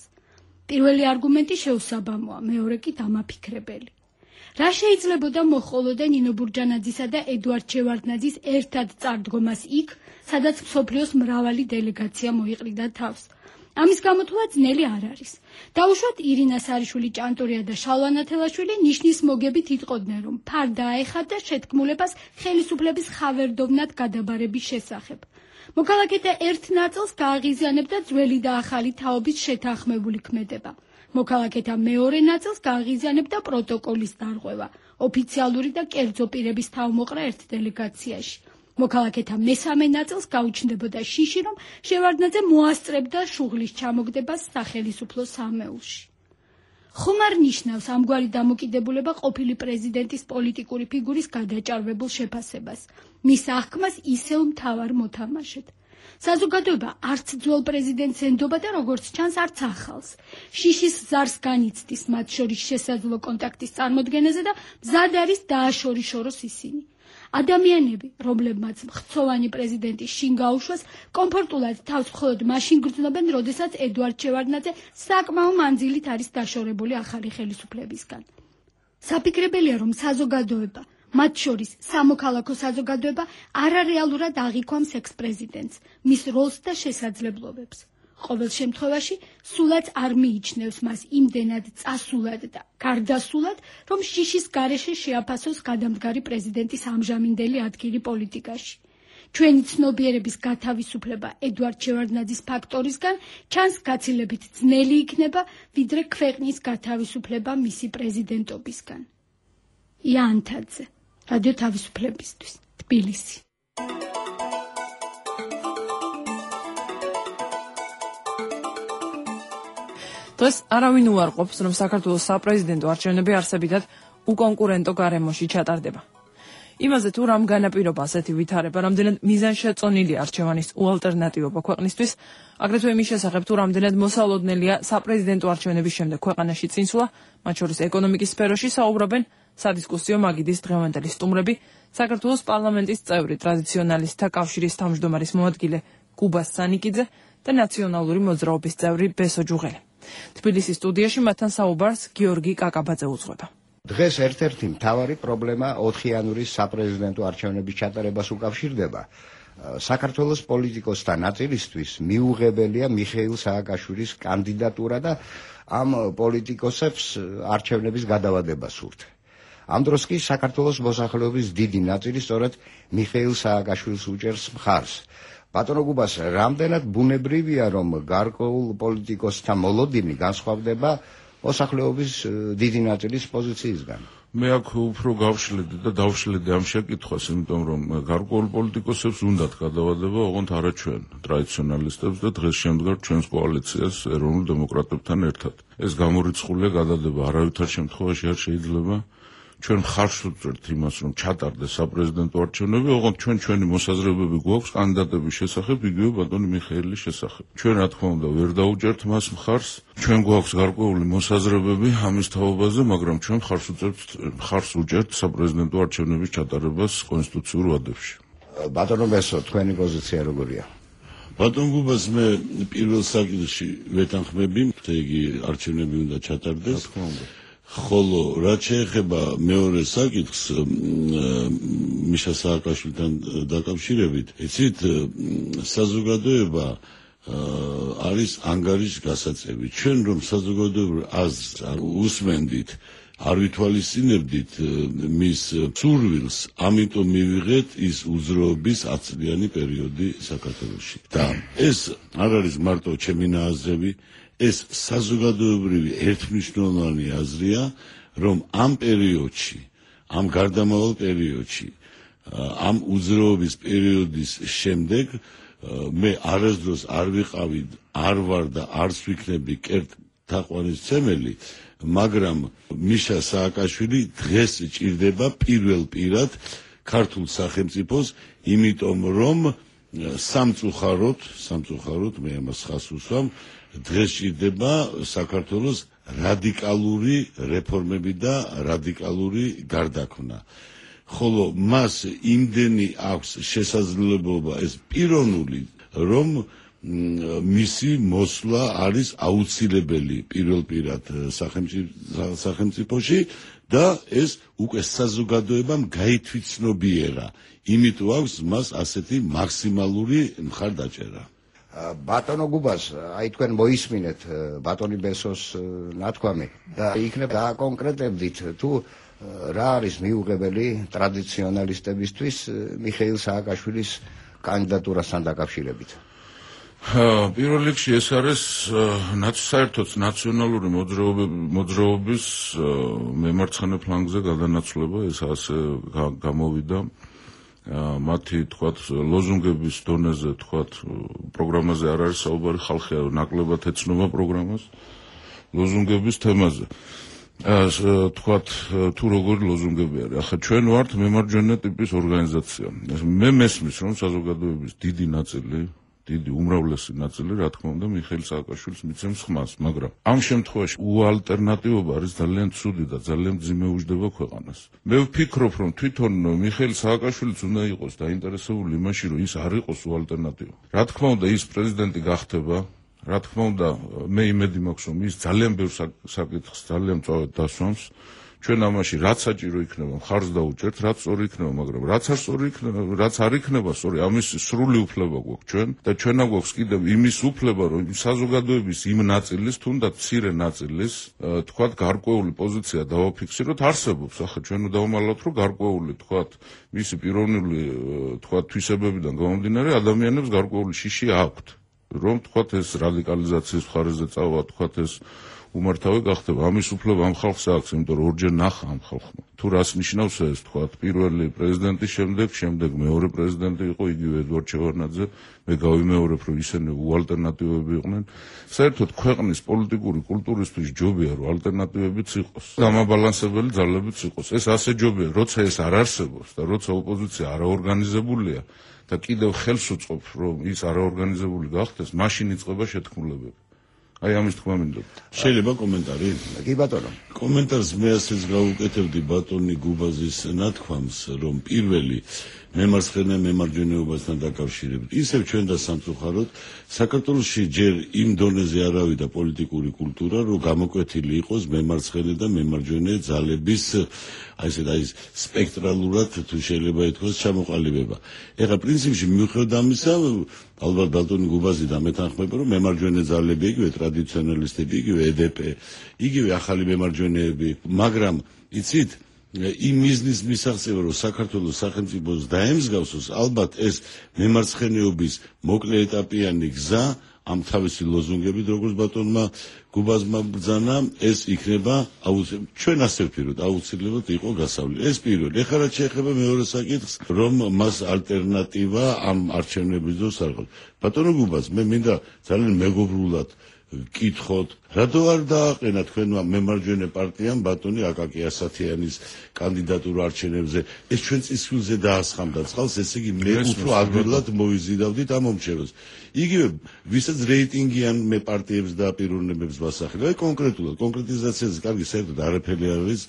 პირველი არგუმენტი შეუსაბამოა, მეორე კი დამაფიქრებელი. რა შეიძლებოდა მოჰყოლოდა ნინო ბურჯანაძისა და ედვარდ შევარდნაძის ერთად წარდგომას იქ, სადაც მსოფლიოს მრავალი დელეგაცია მოიყრიდა თავს? ამის გამოთვლა ძნელი არ არის. დაუშვათ ირინა სარიშვილი ჭანტურია და შალვა ნათელაშვილი ნიშნის მოგებით იტყოდნენ, რომ ფარდა აეხადა შეთქმულებას ხელისუფლების ხავერდოვნად გადაბარების შესახებ. მოქალაქეთა ერთ ნაწილს გააღიზიანებდა ძველი და ახალი თაობის შეთანხმებული ქმედება. მოქალაქეთა მეორე ნაწილს გააღიზიანებდა პროტოკოლის დარღვევა, ოფიციალური და კერძო პირების თავმოყრა ერთ დელეგაციაში. მოქალაქეთა მესამე ნაწილს გაუჩნდებოდა შიში, რომ შევარდნაძე მოასწრებდა შუღლის ჩამოგდებას სახელისუფლო სამეულში. ხომ არ ნიშნავს ამგვარი დამოკიდებულება ყოფილი პრეზიდენტის პოლიტიკური ფიგურის გადაჭარბებულ შეფასებას, მის აღქმას ისევ მთავარ მოთამაშედ. საზოგადოება არც ძველ პრეზიდენტს ენდობა და როგორც ჩანს არც ახალს. შიშის ზარს განიცდის მათ შორის შესაძლო კონტაქტის წარმოდგენაზე და მზად არის დააშორიშოროს ისინი. ადამიანები, რომლებმაც მხცოვანი პრეზიდენტის შინ გაუშვეს, კომფორტულად თავს მხოლოდ მაშინ გრძნობენ, როდესაც ედვარდ შევარდნაძე საკმაო მანძილით არის დაშორებული ახალი ხელისუფლებისგან. საფიქრებელია, რომ საზოგადოება, მათ შორის სამოქალაქო საზოგადოება, არარეალურად აღიქვამს ექს-პრეზიდენტს, მის როლს და შესაძლებლობებს. ყოველ შემთხვევაში, სულაც არ მიიჩნევს მას იმდენად წასულად და გარდასულად, რომ შიშის გარეშე შეაფასოს გადამდგარი პრეზიდენტის ამჟამინდელი ადგილი პოლიტიკაში. ჩვენი ცნობიერების გათავისუფლება ედვარდ შევარდნაძის ფაქტორისგან ჩანს გაცილებით ძნელი იქნება, ვიდრე ქვეყნის გათავისუფლება მისი პრეზიდენტობისგან. იანთაძე, რადიო თავისუფლებისთვის, თბილისი. დღეს არავინ უარყოფს, რომ საქართველოს საპრეზიდენტო არჩევნები არსებითად უკონკურენტო გარემოში ჩატარდება. იმაზე თუ რამ განაპირობა ასეთი ვითარება, რამდენად მიზანშეწონილი არჩევანის უალტერნატივობა ქვეყნისთვის, აგრეთვე იმის შესახებ თუ რამდენად მოსალოდნელია საპრეზიდენტო არჩევნების შემდეგ ქვეყანაში წინსვლა, მათ შორის ეკონომიკის სფეროში საუბრობენ სადისკუსიო მაგიდის დღევანდელი სტუმრები, საქართველოს პარლამენტის წევრი ტრადიციონალისტთა კავშირის თავმჯდომარის მოადგილე კუბა სანიკიძე და ნაციონალური მოძრაობის წევრი ბესო ჯუღელი. თბილისის სტუდიაში მათთან საუბარს გიორგი კაკაბაძე უძღვება. დღეს ერთ-ერთი მთავარი პრობლემა ოთხიანური საპრეზიდენტო არჩევნების ჩატარებას უკავშირდება. საქართველოს პოლიტიკოსთა ნაწილისთვის მიუღებელია მიხეილ სააკაშვილის კანდიდატურა და ამ პოლიტიკოსებს არჩევნების გადავადება სურთ. ამ დროს კი საქართველოს მოსახლეობის დიდი ნაწილი სწორედ მიხეილ სააკაშვილს უჭერს მხარს. ბატონო გუბას, რამდენად ბუნებრივია, რომ გარკვეულ პოლიტიკოსთა მოლოდინი განსხვავდება მოსახლეობის დიდი ნაწილის პოზიციისგან? მე აქ უფრო გავშლედი და დავშლედი ამ შეკითხვას, იმიტომ რომ გარკვეულ პოლიტიკოსებს უნდათ გადავადება, ოღონდ არა ჩვენ, ტრადიციონალისტებს და დღეს შემდგარ ჩვენს კოალიციას ეროვნულ დემოკრატებთან ერთად. ეს გამორიცხულია გადადება, არავითარ შემთხვევაში არ შეიძლება ჩვენ მხარს ვუწევთ იმას, რომ ჩატარდეს საპრეზიდენტო არჩევნები, ოღონდ ჩვენ ჩვენი მოსაზრებები გვაქვს კანდიდატების შესახებ, იგივე ბატონი მიხეილის შესახებ. ჩვენ რა თქმა უნდა ვერ დაუჭერთ მას მხარს, ჩვენ გვაქვს გარკვეული მოსაზრებები ამის თაობაზე, მაგრამ ჩვენ მხარს ვუწევთ მხარს ვუჭერთ საპრეზიდენტო არჩევნების ჩატარებას კონსტიტუციურ ვადებში. ბატონო ბესო, თქვენი პოზიცია როგორია? ბატონ გუბას, მე პირველ საკითხში ვეთანხმები, იგი არჩევნები უნდა ჩატარდეს. რა თქმა უნდა. ხოლო რაც შეეხება მეორე საკითხს მიშა სააკაშვილთან დაკავშირებით, იცით, საზოგადოება არის ანგარიშგასაწევი. ჩვენ რომ საზოგადოებრივ აზრს უსმენდით, არ ვითვალისწინებდით მის სურვილს, ამიტომ მივიღეთ ის უძრაობის ათწლიანი პერიოდი საქართველოში. და ეს არ არის მარტო ჩემი ნააზრევი, ეს საზოგადოებრივი ერთმნიშვნელოვანი აზრია, რომ ამ პერიოდში, ამ გარდამავალ პერიოდში, ამ უძრაობის პერიოდის შემდეგ მე არასდროს არ ვიყავი, არ ვარ და არც ვიქნები კერტ თაყვანისმცემელი, მაგრამ მიშა სააკაშვილი დღეს ჭირდება პირველ პირად ქართულ სახელმწიფოს, იმიტომ რომ სამწუხაროდ, სამწუხაროდ მე ამას ხას უსვამ, დღეს ჭირდება საქართველოს რადიკალური რეფორმები და რადიკალური გარდაქმნა. ხოლო მას იმდენი აქვს შესაძლებლობა ეს პიროვნული, რომ მისი მოსვლა არის აუცილებელი პირველ პირად სახელმწიფოში და ეს უკვე საზოგადოებამ გაითვითცნობიერა. იმიტომ აქვს მას ასეთი მაქსიმალური მხარდაჭერა. ბატონო გუბას, აი თქვენ მოისმინეთ ბატონი ბესოს ნათქვამი და იქნებ დააკონკრეტებდით თუ რა არის მიუღებელი ტრადიციონალისტებისთვის მიხეილ სააკაშვილის კანდიდატურასთან დაკავშირებით? პირველ რიგში ეს არის საერთოდ ნაციონალური მოძრაობის მემარცხენე ფლანგზე გადანაცვლება, ეს ასე გამოვიდა. მათი თქვათ ლოზუნგების დონეზე თქვათ პროგრამაზე არ არის საუბარი, ხალხი ნაკლებად ეცნობა პროგრამას ლოზუნგების თემაზე. თქვათ თუ როგორი ლოზუნგები არის. ახლა ჩვენ ვართ მემარჯვენე ტიპის ორგანიზაცია. მე მესმის რომ საზოგადოების დიდი ნაწილი დიდი უმრავლესი ნაწილი რა თქმა უნდა მიხეილ სააკაშვილს მიცემს ხმას, მაგრამ ამ შემთხვევაში უალტერნატივობა არის ძალიან ცუდი და ძალიან მძიმე უჯდება ქვეყანას. მე ვფიქრობ, რომ თვითონ მიხეილ სააკაშვილიც უნდა იყოს დაინტერესებული იმაში, რომ ის არ იყოს უალტერნატივა. რა თქმა უნდა ის პრეზიდენტი გახდება, რა თქმა უნდა მე იმედი მაქვს, რომ ის ძალიან ბევრ საკითხს ძალიან მწვავედ დასვამს. ჩვენ ამაში რაც საჭირო იქნება მხარს დაუჭერთ, რაც სწორი იქნება, მაგრამ რაც არ სწორი იქნება, რაც არ იქნება სწორი, ამის სრული უფლება გვაქვს ჩვენ და ჩვენ აგვაქვს კიდევ იმის უფლება, რომ საზოგადოების იმ ნაწილის, თუნდაც მცირე ნაწილის, თქვათ, გარკვეული პოზიცია დავაფიქსიროთ, არსებობს. ახლა ჩვენ დავუმალავთ, რომ გარკვეული, თქვათ, მისი პიროვნული, თქვათ, თვისებებიდან გამომდინარე ადამიანებს გარკვეული შიში აქვთ, რომ თქვათ ეს რადიკალიზაციის მხარეზე წავა, თქვათ ეს უმართავი გახდება. ამის უფლება ამ ხალხს აქვს, იმიტომ რომ ორჯერ ნახა ამ ხალხმა. თუ რას ნიშნავს ეს, თქვათ, პირველი პრეზიდენტის შემდეგ, შემდეგ მეორე პრეზიდენტი იყო იგივე ედვარდ შევარდნაძე, მე გავიმეორებ, რომ ისინი უალტერნატივები იყვნენ. საერთოდ ქვეყნის პოლიტიკური კულტურისთვის ჯობია, რომ ალტერნატივებიც იყოს, გამაბალანსებელი ძალებიც იყოს. ეს ასე ჯობია, როცა ეს არ არსებობს და როცა ოპოზიცია არაორგანიზებულია და კიდევ ხელს უწყობს, რომ ის არაორგანიზებული გახდეს, მაშინ იწყება შეთქმულებები. აი ამის თქმა მინდოდა. შეიძლება კომენტარი? კი ბატონო. კომენტარს მე ასეც გავუკეთებდი ბატონი გუბაზის ნათქვამს, რომ პირველი მემარცხენე მემარჯვენეობასთან დაკავშირებით. ისევ ჩვენ და სამწუხაროდ საქართველოში ჯერ იმ დონეზე არავიდა პოლიტიკური კულტურა, რომ გამოკვეთილი იყოს მემარცხენე და მემარჯვენე ძალების აი ესე აი სპექტრალურად თუ შეიძლება ითქვას ჩამოყალიბება. ეხლა პრინციპში მიუხედავად ამისა, ალბათ ბატონი გუბაზი და მეთანხმება, რომ მემარჯვენე ძალები, იგივე ტრადიციონალისტები, იგივე ედეპე, იგივე ახალი მემარჯვენეები, მაგრამ იცით იმ მიზნის მისაღწევა, რომ საქართველოს სახელმწიფოს დაემსგავსოს, ალბათ ეს მემარცხენეობის მოკლე ეტაპიანი გზა, ამ თავისი ლოზუნგებით, როგორც ბატონმა გუბაზმა ბრძანა, ეს იქნება აუცილებლად, ჩვენ ასე ვფიქრობთ, აუცილებლად იყო გასავლელი. ეს პირველი. ეხლა რაც შეეხება მეორე საკითხს, რომ მას ალტერნატივა ამ არჩევნების დროს არ ყავს. ბატონო გუბაზ, მე მინდა ძალიან მეგობრულად კითხოთ, რატო არ დააყენა თქვენმა მემარჯვენე პარტიამ ბატონი აკაკი ასათიანის კანდიდატურა არჩევნებზე? ეს ჩვენ წისქვილზე დაასხამდა წყალს, ესე იგი მე უფრო ადვილად მოიზიდავდით ამ მომჩევას. იგივე ვისაც რეიტინგიან მე პარტიებს და პიროვნებებს ვასახელებ, კონკრეტულად კონკრეტიზაციაზე კარგი საერთოდ არაფერი არ არის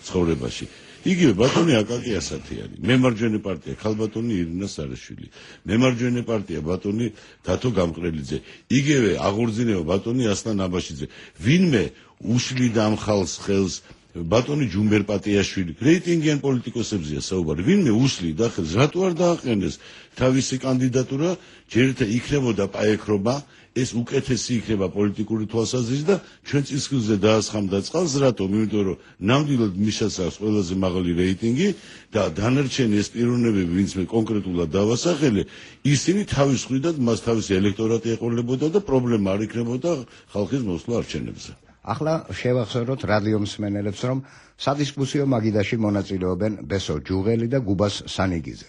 ცხოვრებაში. იგივე ბატონი აკაკი ასათიანი, მემარჯვენე პარტია ქალბატონი ირინა სარაშვილი, მემარჯვენე პარტია ბატონი დათო გამყრელიძე, იგივე აღორძინება ბატონი ასლან აბაშიძე. ვინმე უშლიდა ამ ხალხს ხელს ბატონი ჯუმბერ პატიაშვილი, რეიტინგიან პოლიტიკოსებზეა საუბარი. ვინმე უშლიდა ხელს, რატო არ დააყენეს თავისი კანდიდატურა, ჯერთა იქნებოდა პაექრობა, ეს უკეთესი იქნება პოლიტიკური თვალსაზრისით და ჩვენ წისქვილზე დაასხამდა წყალს, რატომ? იმიტომ რომ ნამდვილად მისას აქვს ყველაზე მაღალი რეიტინგი და დანარჩენი ეს პიროვნებები, ვინც მე კონკრეტულად დავასახელე, ისინი თავის მხრიდან მას თავისი ელექტორატი ეყოლებოდა და პრობლემა არ იქნებოდა ხალხის მოსვლა არჩევნებზე. ახლა შევახსენოთ რადიო მსმენელებს, რომ სადისკუსიო მაგიდაში მონაწილეობენ ბესო ჯუღელი და გუბას სანიგიძე.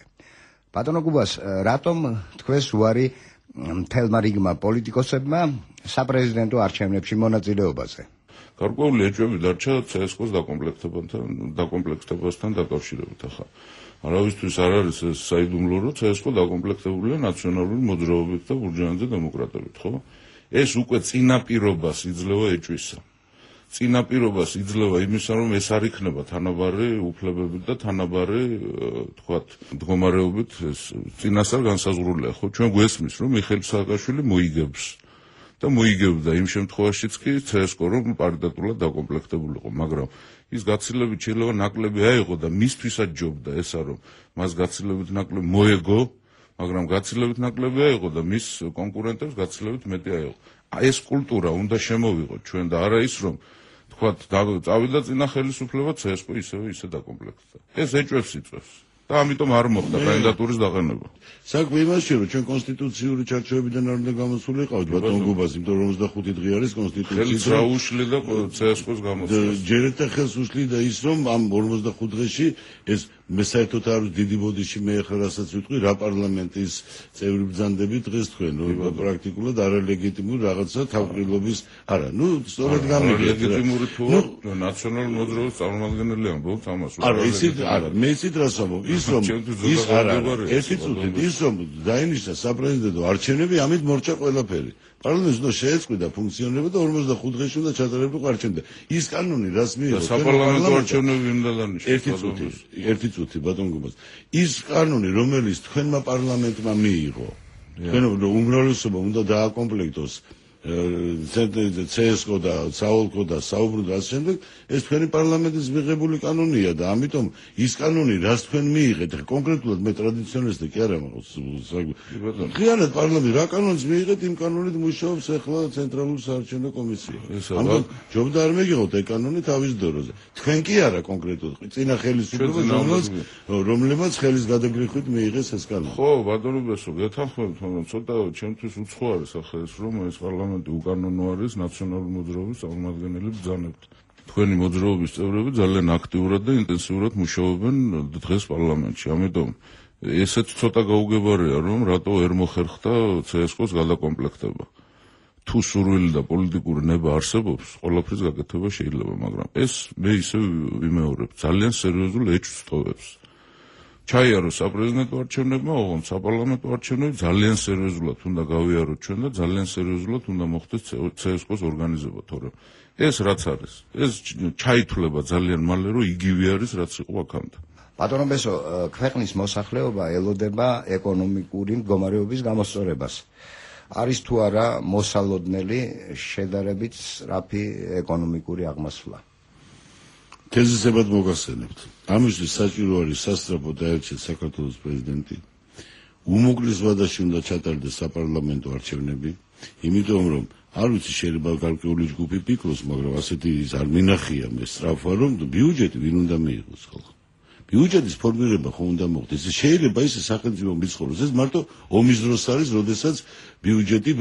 ბატონო გუბას, რატომ თქვენს უარი მთელმა რიგმა პოლიტიკოსებმა საპრეზიდენტო არჩევნებში მონაწილეობაზე. გარკვეული ეჭვები დარჩა ცესკოს დაკომპლექტებასთან დაკომპლექტებასთან დაკავშირებით ახლა. არავისთვის არ არის ეს საიდუმლო, რომ ცესკო დაკომპლექტებულია ნაციონალური მოძრაობით და ბურჟუაზია დემოკრატებით, ხო? ეს უკვე წინაპირობას იძლევა ეჭვისა. წინაპირობას იძლევა იმისა, რომ ეს არ იქნება თანაბარი უფლებებით და თანაბარი, თქვათ, მდგომარეობით ეს წინასწარ განსაზღვრულია, ხო? ჩვენ გვესმის, რომ მიხეილ სააკაშვილი მოიგებს და მოიგებდა იმ შემთხვევაშიც კი ცესკო რომ პარიტეტულად დაკომპლექტებულიყო, მაგრამ ის გაცილებით შეიძლება ნაკლები აიღო და მისთვისაც ჯობდა ესა რომ მას გაცილებით ნაკლები მოეგო, მაგრამ გაცილებით ნაკლები აიღო და მის კონკურენტებს გაცილებით მეტი აიღო. ეს კულტურა უნდა შემოვიღოთ ჩვენ და არა ის რომ თქვათ წავიდა წინა ხელისუფლება ცესკო ისევე ისე დაკომპლექტდა. ეს ეჭვებს იწვევს. და ამიტომ არ მოხდა კანდიდატურის დაყენება. საქმე იმაშია, რომ ჩვენ კონსტიტუციური ჩარჩოებიდან არ უნდა გამოსულიყავთ ბატონ გუბას, იმიტომ რომ ოცდახუთი დღე არის კონსტიტუციის. ხელს რა უშლი და ცესკოს გამოსულა. ჯერეთა ხელს უშლი და ის რომ ამ ორმოცდახუთ დღეში ეს მე საერთოდ არ დიდი ბოდიში მე ახლა რასაც ვიტყვი, რა პარლამენტის წევრი ბრძანდებით დღეს თქვენ, რომ პრაქტიკულად არალეგიტიმური რაღაცა თავყრილობის არა, ნუ სწორად გამიგეთ. ლეგიტიმური თუ ნაციონალური მოძრაობის წარმომადგენელი ამბობთ ამას. არა, ისიც არა, მე ისიც რას ამბობ, ის რომ ის არა, ერთი წუთით ის რომ დაინიშნა საპრეზიდენტო არჩევნები, ამით მორჩა ყველაფერი. პარლამენტს უნდა შეეწყვიტა ფუნქციონირება და ორმოცდახუთ დღეში უნდა ჩატარებულიყო არჩევნები. ის კანონი რას მიიღო? საპარლამენტო არჩევნები უნდა დანიშნოს. ერთი წუთი, ერთი წუთი ბატონ გუბას. ის კანონი, რომელიც თქვენმა პარლამენტმა მიიღო, თქვენ უმრავლესობა უნდა დააკომპლექტოს ცესკო და საოლქო და საუბრუ და ასე შემდეგ, ეს თქვენი პარლამენტის მიღებული კანონია და ამიტომ ის კანონი, რაც თქვენ მიიღეთ, კონკრეტულად მე ტრადიციონალისტი კი არა მაქვს. ღიარად პარლამენტი რა კანონს მიიღეთ, იმ კანონით მუშაობს ახლა ცენტრალური საარჩევნო კომისია. ამიტომ ჯობდა არ მეგიღოთ ეგ კანონი თავის დროზე. თქვენ კი არა კონკრეტულად, წინა ხელისუფლება, რომლებმაც ხელის გადაგრიხვით მიიღეს ეს კანონი. ხო, ბატონო ბესო, გეთანხმებით, მაგრამ ცოტა ჩემთვის უცხო არის ახლა ეს რომ ეს პარლამენტი უკანონო არის ნაციონალური მოძრაობის წარმომადგენელი ბრძანებთ. თქვენი მოძრაობის წევრები ძალიან აქტიურად და ინტენსიურად მუშაობენ დღეს პარლამენტში. ამიტომ ესეც ცოტა გაუგებარია, რომ რატო ვერ მოხერხდა ცესკოს გადაკომპლექტება. თუ სურვილი და პოლიტიკური ნება არსებობს, ყველაფრის გაკეთება შეიძლება, მაგრამ ეს მე ისე ვიმეორებ ძალიან სერიოზულ ეჭვს ტოვებს. ჩაიარო საპრეზიდენტო არჩევნებმა, ოღონდ საპარლამენტო არჩევნები ძალიან სერიოზულად უნდა გავიაროთ ჩვენ და ძალიან სერიოზულად უნდა მოხდეს ცესკოს ორგანიზება, თორემ ეს რაც არის, ეს ჩაითვლება ძალიან მალე, რომ იგივე არის, რაც იყო აქამდე. ბატონო ბესო, ქვეყნის მოსახლეობა ელოდება ეკონომიკური მდგომარეობის გამოსწორებას. არის თუ არა მოსალოდნელი შედარებით სწრაფი ეკონომიკური აღმასვლა? თეზისებად მოგახსენებთ. ამისთვის საჭირო არის სასწრაფო დაერჩეთ საქართველოს პრეზიდენტი. უმოკლეს ვადაში უნდა ჩატარდეს საპარლამენტო არჩევნები, იმიტომ რომ არ ვიცი შეიძლება გარკვეული ჯგუფი ფიქრობს, მაგრამ ასეთი ის არ მინახია მე სწრაფვა, რომ ბიუჯეტი ვინ უნდა მიიღოს ხალხო. ბიუჯეტის ფორმირება ხომ უნდა მოხდეს. შეიძლება ისე სახელმწიფო მიცხოვროს. ეს მარტო ომის დროს არის, როდესაც ბიუჯეტი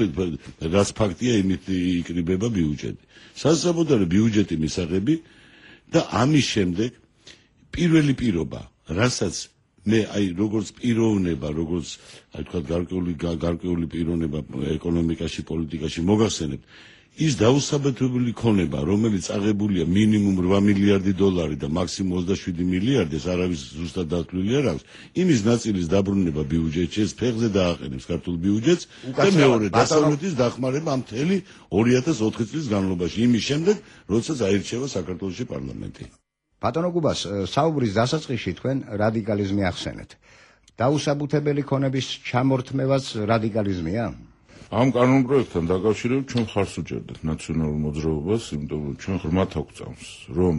რაც ფაქტია, იმით იკრიბება ბიუჯეტი. სასწრაფოდაა ბიუჯეტი მისაღები და ამის შემდეგ პირველი პირობა, რასაც მე აი როგორც პიროვნება, როგორც აი თქვა გარკვეული გარკვეული პიროვნება ეკონომიკაში, პოლიტიკაში მოგახსენებთ, ის დაუსაბუთებელი ქონება, რომელიც აღებულია მინიმუმ რვა მილიარდი დოლარი და მაქსიმუმ ოცდაშვიდი მილიარდი, ეს არავის ზუსტად დათვლილი არ აქვს. იმის ნაწილის დაბრუნება ბიუჯეტში, ეს ფეხზე დააყენებს ქართულ ბიუჯეტს და მეორე დასავლეთის დახმარება ამ მთელი ორი ათას ოთხი წლის განმავლობაში, იმის შემდეგ, როდესაც აირჩევა საქართველოში პარლამენტი. ბატონო გუბას, საუბრის დასაწყისში თქვენ რადიკალიზმი ახსენეთ. დაუსაბუთებელი ქონების ჩამორთმევაც რადიკალიზმია? ამ კანონპროექტთან დაკავშირებით ჩვენ ხარს უჭერდეთ ნაციონალურ მოძრაობას, იმიტომ რომ ჩვენ ღრმად აგვწამს, რომ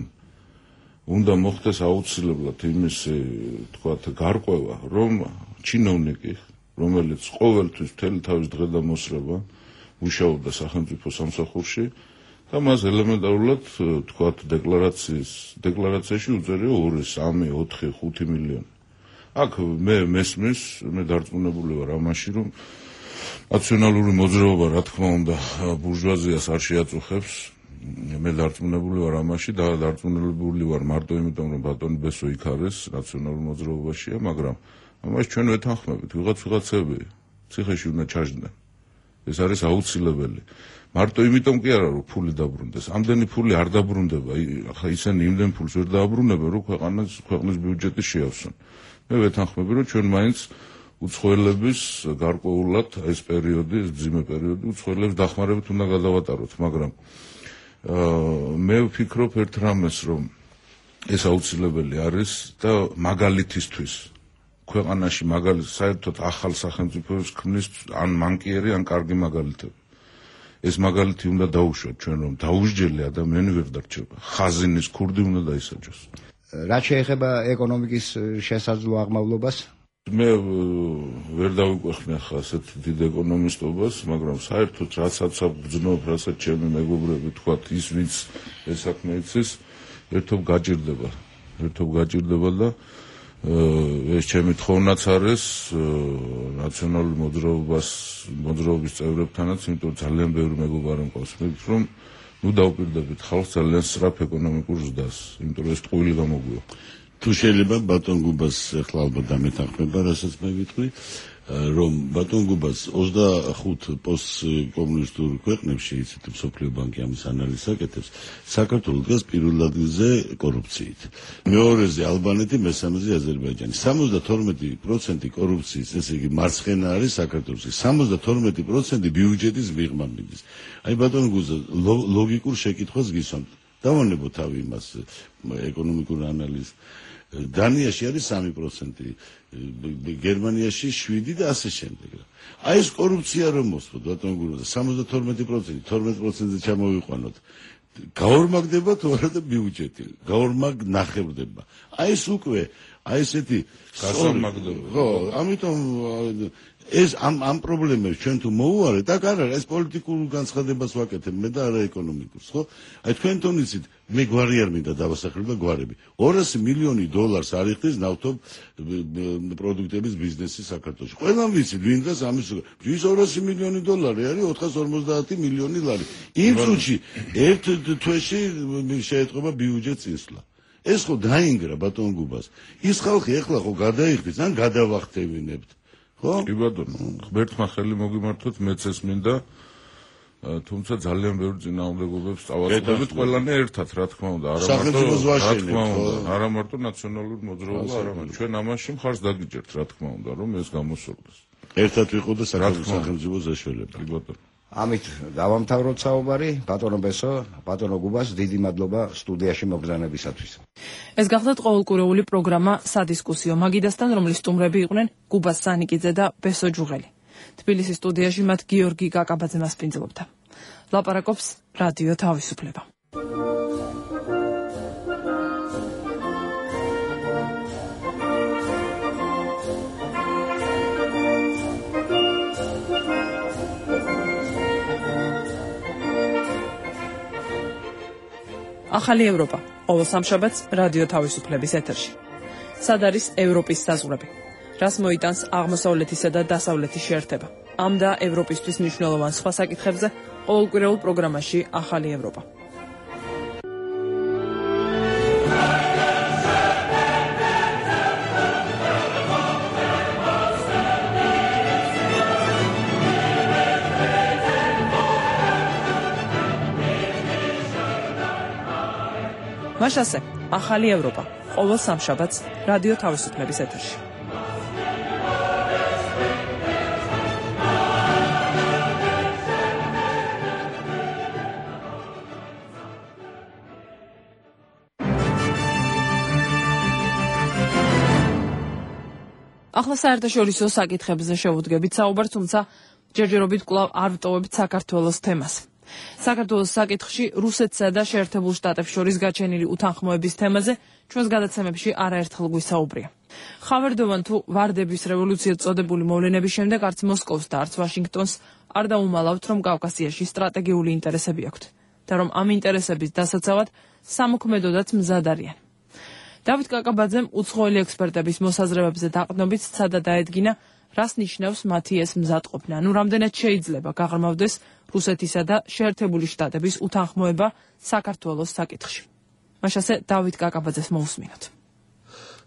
უნდა მოხდეს აუცილებლად იმის, თქვათ, გარკვევა, რომ ჩინოვნიკი, რომელიც ყოველთვის მთელი თავის დღე და მოსრება მუშაობდა სახელმწიფო სამსახურში და მას ელემენტარულად, თქვათ, დეკლარაციის დეკლარაციაში უწერია ორი, სამი, ოთხი, ხუთი მილიონი. აქ მე მესმის, მე დარწმუნებული ვარ ამაში, რომ ნაციონალური მოძრაობა, რა თქმა უნდა, ბურჟუაზიას არ შეაწუხებს. მე დარწმუნებული ვარ ამაში და დარწმუნებული ვარ მარტო იმიტომ, რომ ბატონი ბესო იქ არის, ნაციონალურ მოძრაობაშია, მაგრამ ამაში ჩვენ ვეთანხმებით, ვიღაც ვიღაცები ციხეში უნდა ჩაჯდნენ. ეს არის აუცილებელი. მარტო იმიტომ კი არა, რომ ფული დაბრუნდეს. ამდენი ფული არ დაბრუნდება. ახლა ისინი იმდენ ფულს ვერ დააბრუნებენ, რომ ქვეყანას ქვეყნის ბიუჯეტი შეავსონ. მე ვეთანხმები, რომ ჩვენ მაინც უცხოელების გარკვეულად ეს პერიოდი, ეს ძიმე პერიოდი უცხოელებს დახმარებით უნდა გადავატაროთ, მაგრამ მე ვფიქრობ ერთ რამეს, რომ ეს აუცილებელი არის და მაგალითისთვის ქვეყანაში მაგალითად საერთოდ ახალ სახელმწიფოს ქმნის ან მანკიერი ან კარგი მაგალითები. ეს მაგალითი უნდა დაუშვათ ჩვენ, რომ დაუსჯელი ადამიანი ვერ დარჩება. ხაზინის ქურდი უნდა დაისაჯოს. რაც შეეხება ეკონომიკის შესაძლო აღმავლობას, მე ვერ დავიკვეხნი ახლა ასეთ დიდ ეკონომისტობას, მაგრამ საერთოდ რასაც ვგრძნობ, რასაც ჩემი მეგობრები თქვათ, ის ვინც ეს საქმე იცის, ერთობ გაჭირდება. ერთობ გაჭირდება და ეს ჩემი თხოვნაც არის ნაციონალური მოძრაობას მოძრაობის წევრებთანაც, იმიტომ რომ ძალიან ბევრი მეგობარი მყავს, მეგობრებს, რომ ნუ დავუპირდებით ხალხს ძალიან სწრაფ ეკონომიკურ ზრდას, იმიტომ რომ ეს ტყუილი გამოგვიო. თუ შეიძლება ბატონ გუბას ახლა ალბათ დამეთანხმება, რასაც მე ვიტყვი, რომ ბატონ გუბას ოცდახუთ პოსტკომუნისტურ ქვეყნებში, იცით, მსოფლიო ბანკი ამის ანალიზს აკეთებს, საქართველო დგას პირველ ადგილზე კორუფციით. მეორეზე ალბანეთი, მესამეზე აზერბაიჯანი. სამოცდათორმეტი პროცენტი კორუფციის, ესე იგი მარცხენა არის საქართველოში. სამოცდათორმეტი პროცენტი ბიუჯეტის მიღმა მიდის. აი ბატონ გუზა, ლოგიკურ შეკითხვას გისვამთ. დავანებო თავი იმას ეკონომიკურ ანალიზს. დანიაში არის სამი პროცენტი, გერმანიაში შვიდი და ასე შემდეგ. აი ეს კორუფცია რომ მოსწოთ, ბატონ გუზა, სამოცდათორმეტი პროცენტი, თორმეტ პროცენტზე ჩამოვიყვანოთ. გაორმაგდება თუ არა და ბიუჯეტი, გაორმაგ ნახევრდება. აი ეს უკვე, აი ესეთი გასამაგდება. ხო, ამიტომ ეს ამ ამ პრობლემებს ჩვენ თუ მოუარეთ, აქ არ არის ეს პოლიტიკურ განცხადებას ვაკეთებ მე და არა ეკონომიკურს, ხო? აი თქვენ თონიცით, მე გვარი არ მინდა დავასახელო და გვარები. ორასი მილიონი დოლარს არიხდის ნავთობ პროდუქტების ბიზნესი საქართველოში. ყველამ ვიცით, ვინ დღეს ამის ის ორასი მილიონი დოლარი არის ოთხას ორმოცდაათი მილიონი ლარი. იმ წუთში ერთ თვეში შეეთყობა ბიუჯეტს წინსვლა. ეს ხო დაინგრა ბატონ გუბას. ის ხალხი ეხლა ხო გადაიხდის, ან გადავახტევინებთ. კი ბატონო, ღმერთმა ხელი მოგიმართოთ, მეც ეს მინდა, თუმცა ძალიან ბევრი წინააღმდეგობებს წავაწყდებით ყველანი ერთად, რა თქმა უნდა, არა მარტო რა თქმა უნდა, არა მარტო ნაციონალური მოძრაობა, არამედ ჩვენ ამაში მხარს დაგიჭერთ, რა თქმა უნდა, რომ ეს გამოსულდეს. ერთად ვიყო და სახელმწიფო ზაშველება. კი ბატონო. ამით დავამთავროთ საუბარი. ბატონო ბესო, ბატონო გუბას, დიდი მადლობა სტუდიაში მოგზაურობისათვის. ეს გახლდათ ყოველკვირეული პროგრამა სადისკუსიო მაგიდასთან, რომლის სტუმრები იყვნენ გუბას სანიკიძე და ბესო ჯუღელი. თბილისის სტუდიაში მათ გიორგი კაკაბაძე მასპინძლობდა. ლაპარაკობს რადიო თავისუფლება. ახალი ევროპა. ყოველ სამშაბათს რადიო თავისუფლების ეთერში. სად არის ევროპის საზღვრები? რას მოიტანს აღმოსავლეთისა და დასავლეთის შეერთება? ამ და ევროპისთვის მნიშვნელოვან სხვა საკითხებზე ყოველკვირეულ პროგრამაში ახალი ევროპა. მაშასე, ახალი ევროპა, ყოველ სამშაბათს რადიო თავისუფლების ეთერში. ახლა საერთაშორისო საკითხებზე შევუდგებით საუბარს, თუმცა ჯერჯერობით კვლავ არ ვტოვებით საქართველოს თემას. საქართველოს საკითხში რუსეთსა და შეერთებულ შტატებს შორის გაჩენილი უთანხმოების თემაზე ჩვენს გადაცემებში არაერთხელ გვისაუბრია. ხავერდოვან თუ ვარდების რევოლუციად წოდებული მოვლენების შემდეგ არც მოსკოვს და არც ვაშინგტონს არ დაუმალავთ, რომ კავკასიაში სტრატეგიული ინტერესები აქვთ და რომ ამ ინტერესების დასაცავად სამოქმედოდაც მზად არიან. დავით კაკაბაძემ უცხოელი ექსპერტების მოსაზრებებზე დაყრდნობით სცადა დაედგინა, რას ნიშნავს მათი ეს მზადყოფნა, ანუ რამდენად შეიძლება გაღრმავდეს რუსეთისა და შეერთებული შტატების უთანხმოება საქართველოს საკითხში. მაშასე დავით კაკაბაძეს მოусმინოთ.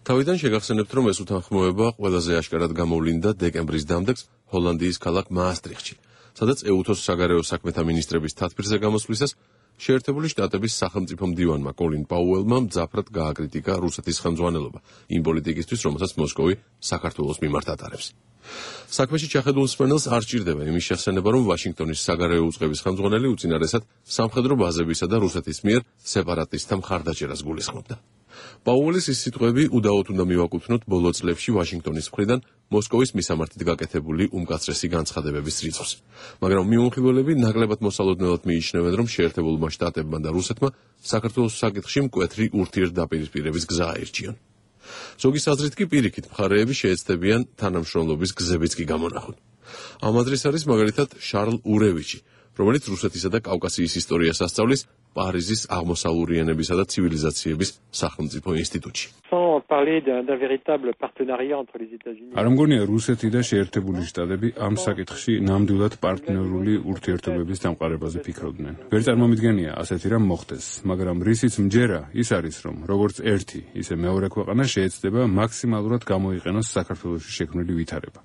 თავიდან შეგახსენებთ, რომ ეს უთანხმოება ყველაზე აშკარად გამოვლინდა დეკემბრის დამდეგს ჰოლანდიის ქალაქ მაასტრიხტში. სადაც ეუთოს საგარეო საქმეთა მინისტრების თათბირზე გამოსვლისას შეერთებული შტატების სახელმწიფო მდივანმა კოლინ პაუელმა მძაფრად გააკრიტიკა რუსეთის ხელმძღვანელობა იმ პოლიტიკისთვის, რომელსაც მოსკოვი საქართველოს მიმართ ატარებს. საქმეში ჩახედულ მსმენელს არ სჭირდება იმის შესაძლებლობა, რომ ვაშინგტონის საგარეო უწყების ხელმძღვანელი უწინარესად სამხედრო ბაზებისა და რუსეთის მიერ სეპარატისტთა მხარდაჭერას გულისხმობდა. პაუელის ის სიტყვები უდაოდ უნდა მივაკუთვნოთ ბოლო წლებში ვაშინგტონის მხრიდან მოსკოვის მისამართით გაკეთებული უმკაცრესი განცხადებების რიცხვს. მაგრამ მიუღებელები ნაკლებად მოსალოდნელად მიიჩნევენ, რომ შეერთებულმა შტატებმა და რუსეთმა საქართველოს საკითხში მკვეთრი ურთიერთდაპირისპირების გზა აირჩიონ. ზოგის აზრით კი პირიქით მხარეები შეეცდებიან თანამშრომლობის გზებიც კი გამონახონ. ამ აზრის არის მაგალითად შარლ ურევიჩი, რომელიც რუსეთისა და კავკასიის ისტორიას ასწავლის პარიზის აღმოსავლური ენებისა და ცივილიზაციების სახელმწიფო ინსტიტუტში. არ მგონია რუსეთი და შეერთებული შტატები ამ საკითხში ნამდვილად პარტნიორული ურთიერთობების დამყარებაზე ფიქრობდნენ. ვერ წარმომიდგენია ასეთი რამ მოხდეს, მაგრამ რისიც მჯერა ის არის, რომ როგორც ერთი, ისე მეორე ქვეყანა შეეცდება მაქსიმალურად გამოიყენოს საქართველოში შექმნილი ვითარება.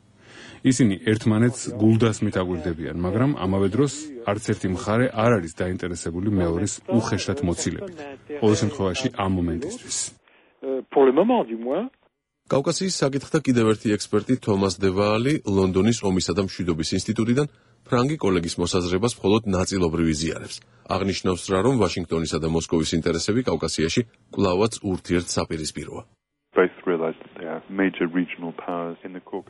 ისინი ერთმანეთს გულდასმით აგვირდებიან, მაგრამ ამავე დროს არც ერთი მხარე არ არის დაინტერესებული მეორის უხეშად მოცილებით. ყოველ შემთხვევაში ამ მომენტისთვის. კავკასიის საკითხთა კიდევ ერთი ექსპერტი თომას დევაალი ლონდონის ომისა და მშვიდობის ინსტიტუტიდან ფრანგი კოლეგის მოსაზრებას მხოლოდ ნაწილობრივ იზიარებს. აღნიშნავს რა, რომ ვაშინგტონისა და მოსკოვის ინტერესები კავკასიაში კვლავაც ურთიერთსაპირისპიროა.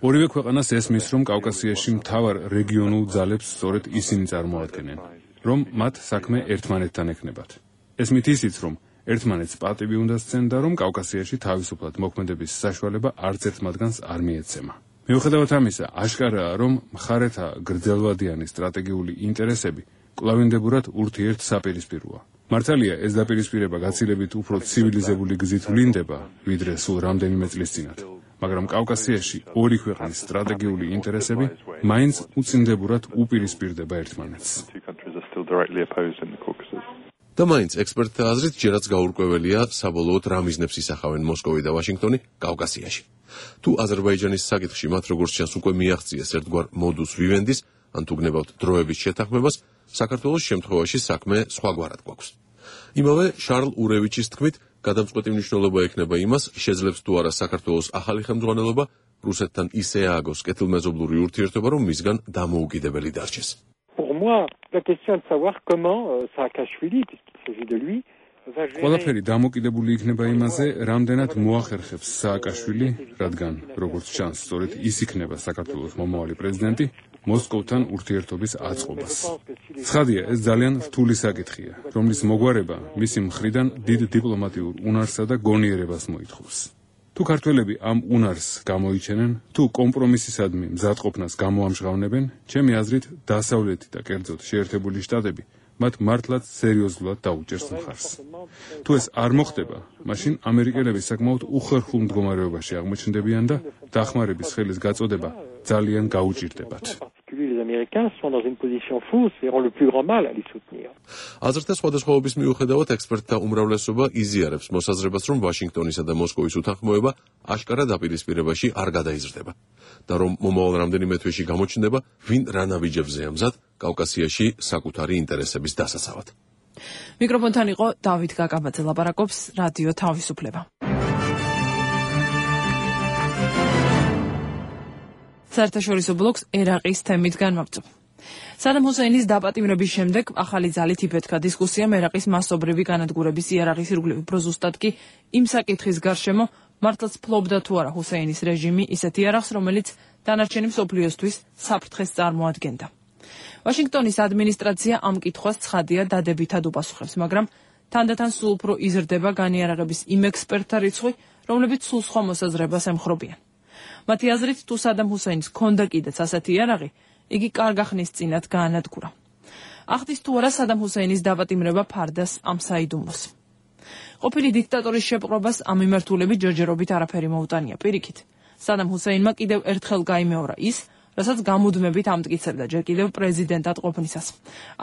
ორივე ქვეყანას ესმის, რომ კავკასიაში მთავარ რეგიონულ ძალებს სწორედ ისინი წარმოადგენენ, რომ მათ საქმე ერთმანეთთან ექნებათ. ესმით ისიც, რომ ერთმანეთს პატივი უნდა სცენ და რომ კავკასიაში თავისუფლად მოქმედების საშუალება არც ერთ მათგანს არ მიეცემა. მიუხედავად ამისა, აშკარაა, რომ მხარეთა გრძელვადიანი სტრატეგიული ინტერესები კვლავინდებურად ურთიერთსაპირისპიროა. მართალია, ეს დაპირისპირება გაცილებით უფრო ცივილიზებული გზით ვლინდება, ვიდრე სულ რამდენიმე წლის წინათ. მაგრამ კავკასიაში ორი ქვეყნის სტრატეგიული ინტერესები მაინც უწინდებურად უპირისპირდება ერთმანეთს. და მაინც ექსპერტთა აზრით ჯერაც გაურკვეველია საბოლოოდ რა მიზნებს ისახავენ მოსკოვი და ვაშინგტონი კავკასიაში. თუ აზერბაიჯანის საკითხში მათ როგორც ჩანს უკვე მიაღწიეს ერთგვარ მოდუს ვივენდის, ან თუ გნებავთ დროების შეთანხმებას, საქართველოს შემთხვევაში საქმე სხვაგვარად გვაქვს. იმავე შარლ ურევიჩის თქმით, გადამწყვეტი მნიშვნელობა ექნება იმას, შეძლებს თუ არა საქართველოს ახალი ხელმძღვანელობა რუსეთთან ისე ააგოს კეთილმეზობლური ურთიერთობა, რომ მისგან დამოუკიდებელი დარჩეს. ყველაფერი დამოკიდებული იქნება იმაზე, რამდენად მოახერხებს სააკაშვილი, რადგან, როგორც ჩანს, სწორედ ის იქნება საქართველოს მომავალი პრეზიდენტი, მოსკოვთან ურთიერთობის აწყობას. ცხადია, ეს ძალიან რთული საკითხია, რომლის მოგვარება მისი მხრიდან დიდ დიპლომატიურ უნარსა და გონიერებას მოითხოვს. თუ ქართველები ამ უნარს გამოიჩენენ, თუ კომპრომისისადმი მზადყოფნას გამოამჟღავნებენ, ჩემი აზრით, დასავლეთი და კერძოდ შეერთებული შტატები მათ მართლაც სერიოზულად დაუჭერს მხარს. თუ ეს არ მოხდება, მაშინ ამერიკელები საკმაოდ უხერხულ მდგომარეობაში აღმოჩნდებიან და დახმარების ხელის გაწოდება ძალიან გაუჭირდებათ. აზრთა სხვადასხვაობის მიუხედავად ექსპერტთა უმრავლესობა იზიარებს მოსაზრებას, რომ ვაშინგტონისა და მოსკოვის უთანხმოება აშკარა დაპირისპირებაში არ გადაიზრდება და რომ მომავალ რამდენიმე თვეში გამოჩნდება, ვინ რა ნაბიჯებზეა მზად კავკასიაში საკუთარი ინტერესების დასაცავად. მიკროფონთან იყო დავით გაკაბაძე, ლაპარაკობს რადიო თავისუფლება. საერთაშორისო ბლოკს ერაყის თემით განვაგრძობ. სადამ ჰუსეინის დაპატიმრების შემდეგ ახალი ძალით იფეთქა დისკუსიამ ერაყის მასობრივი განადგურების იარაღის ირგვლივ, უფრო ზუსტად კი იმ საკითხის გარშემო, მართლაც ფლობდა თუ არა ჰუსეინის რეჟიმი ისეთ იარაღს, რომელიც დანარჩენი მსოფლიოსთვის საფრთხეს წარმოადგენდა. ვაშინგტონის ადმინისტრაცია ამ კითხვას ცხადია დადებითად უპასუხებს, მაგრამ თანდათან სულ უფრო იზრდება განიარაღების იმ ექსპერტთა რიცხვი, რომლებიც სულ სხვა მოსაზრებას ემხრობიან. მათი აზრით, თუ სადამ ჰუსეინს ჰქონდა კიდეც ასეთი იარაღი, იგი კარგა ხნის წინათ გაანადგურა. ახდის თუ არა სადამ ჰუსეინის დაპატიმრება ფარდას ამ საიდუმლოს. ყოფილი დიქტატორის შეპყრობას ამ მიმართულებით ჯერჯერობით არაფერი მოუტანია. პირიქით, სადამ ჰუსეინმა კიდევ ერთხელ გაიმეორა ის, რასაც გამუდმებით ამტკიცებდა ჯერ კიდევ პრეზიდენტად ყოფნისას.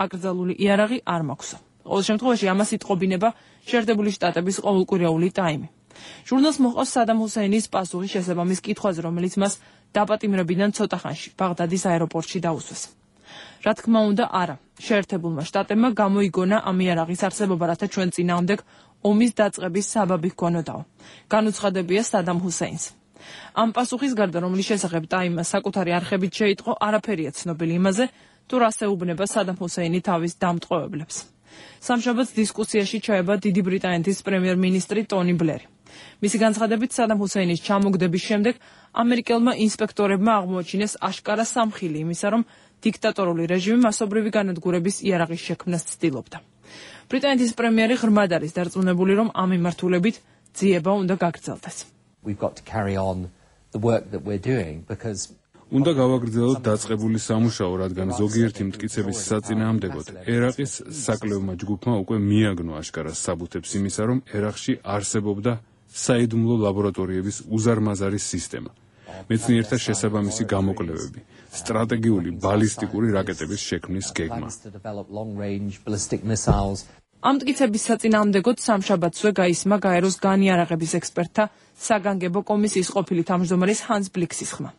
აკრძალული იარაღი არ მაქვსო. ყოველ შემთხვევაში ამას იტყობინება შეერთებული შტატების ყოველკვირეული ტაიმი. ჟურნალს მოყავს სადამ ჰუსეინის პასუხი შესაბამის კითხვაზე, რომელიც მას დაპატიმრებიდან ცოტა ხანში ბაღდადის აეროპორტში დაუსვეს. რა თქმა უნდა, არა. შეერთებულმა შტატებმა გამოიგონა ამ იარაღის არსებობა, რათა ჩვენ წინააღმდეგ ომის დაწყების საბაბი ჰქონოდაო. განუცხადებია სადამ ჰუსეინს. ამ პასუხის გარდა, რომლის შესახებ ტაიმმა საკუთარი არხებით შეიტყო, არაფერია ცნობილი იმაზე, თუ რას ეუბნება სადამ ჰუსეინი თავის დამტყვევებლებს. სამშაბათს დისკუსიაში ჩაება დიდი ბრიტანეთის პრემიერ-მინისტრი ტონი ბლერი. მისი განცხადებით, სადამ ჰუსეინის ჩამოგდების შემდეგ ამერიკელმა ინსპექტორებმა აღმოაჩინეს აშკარა სამხილი იმისა, რომ დიქტატორული რეჟიმი მასობრივი განადგურების იარაღის შექმნას ცდილობდა. ბრიტანეთის პრემიერი ღრმად არის დარწმუნებული, რომ ამ მიმართულებით ძიება უნდა გაგრძელდეს. უნდა გავაგრძელოთ დაწყებული სამუშაო, რადგან ზოგიერთი მტკიცების საწინააღმდეგოდ ერაყის საკლევმა ჯგუფმა უკვე მიაგნო აშკარას საბუთებს იმისა, რომ ერაყში არსებობდა საიდუმლო ლაბორატორიების უზარმაზარი სისტემა, მეცნიერთა შესაბამისი გამოკვლევები, სტრატეგიული ბალისტიკური რაკეტების შექმნის გეგმა. ამ მტკიცების საწინააღმდეგოდ სამშაბათსვე გაისმა გაეროს განიარაღების ექსპერტთა საგანგებო კომისიის ყოფილი თავმჯდომარის ჰანს ბლიქსის ხმა.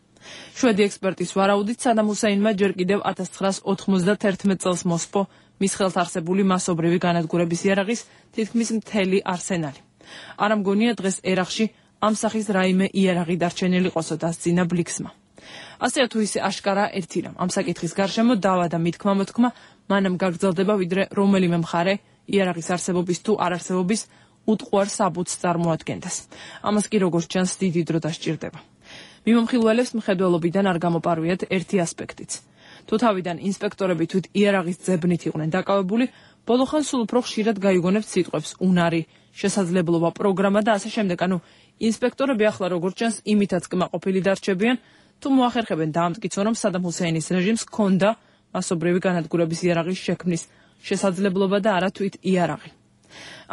შვედი ექსპერტის ვარაუდით, სადამ ჰუსეინმა ჯერ კიდევ ათას ცხრაას ოთხმოცდათერთმეტ წელს მოსპო მის ხელთ არსებული მასობრივი განადგურების იარაღის თითქმის მთელი არსენალი. არ ამგონია დღეს ერაყში ამ სახის რაიმე იარაღი დარჩენილი ყოსო, დასძინა ბლიქსმა. ასეა თუ ისე აშკარა ერთი რამ, ამ საკითხის გარშემო დავა და მithქმა მოთქმა მანამ გაგრძელდება, ვიდრე რომელიმე მხარე იარაღის არსებობის თუ არარსებობის უტყუარ საბუთს წარმოადგენდეს. ამას კი როგორც ჩანს დიდი დრო დასჭირდება. მიმომხილველებს მხედველობიდან არ გამოპარვიათ ერთი ასპექტიც. თუ თავიდან ინსპექტორები თვით იარაღის ძებნით იყვნენ დაკავებული, ბოლოხან სულ უფრო ხშირად გაიგონებთ სიტყვებს უნარი, შესაძლებლობა, პროგრამა და ასე შემდეგ. ანუ ინსპექტორები ახლა როგორც ჩანს იმითაც კმაყოფილი დარჩებიან, თუ მოახერხებენ დაამტკიცონ, რომ სადამ ჰუსეინის რეჟიმს ჰქონდა მასობრივი განადგურების იარაღის შექმნის შესაძლებლობა და არა თვით იარაღი.